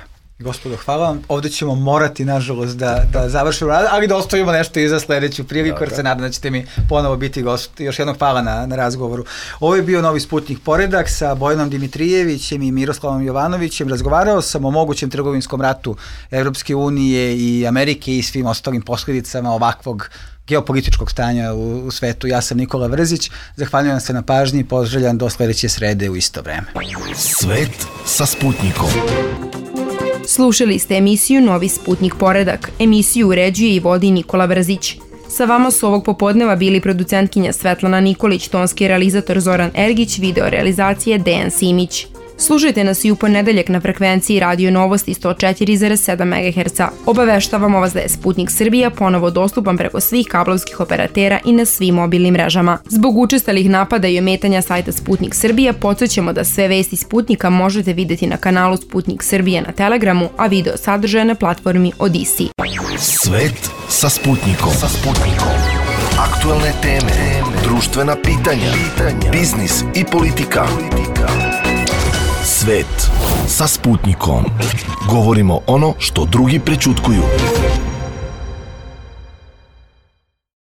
Gospodo, hvala vam. Ovde ćemo morati, nažalost, da završimo rad, ali da ostavimo nešto i za sledeću priliku, jer se nadam da ćete mi ponovo biti gost. Još jednog hvala na razgovoru. Ovo je bio Novi Sputnik poredak sa Bojanom Dimitrijevićem i Miroslavom Jovanovićem. Razgovarao sam o mogućem trgovinskom ratu Evropske unije i Amerike i svim ostalim posljedicama ovakvog geopolitičkog stanja u svetu. Ja sam Nikola Vrzić, zahvaljujem se na pažnji i poželjam do sledeće srede u isto vreme. Svet sa Sputnikom. Slušali ste emisiju Novi Sputnik poredak. Emisiju uređuje i vodi Nikola Vrzić. Sa vama su ovog popodneva bili producentkinja Svetlana Nikolić, tonski realizator Zoran Ergić, video realizacije Dejan Simić. Slušajte nas i u ponedeljak na frekvenciji Radio Novosti 104,7 MHz. Obaveštavamo vas da je Sputnik Srbija ponovo dostupan preko svih kablovskih operatera i na svim mobilnim mrežama. Zbog učestalih napada i ometanja sajta Sputnik Srbija, podsjećamo da sve vesti Sputnika možete videti na kanalu Sputnik Srbija na Telegramu, a video sadržaje na platformi Odisi. Svet sa Sputnikom. Aktualne teme, društvena pitanja, biznis i politika. Svet sa Sputnikom. Govorimo ono što drugi prećutkuju.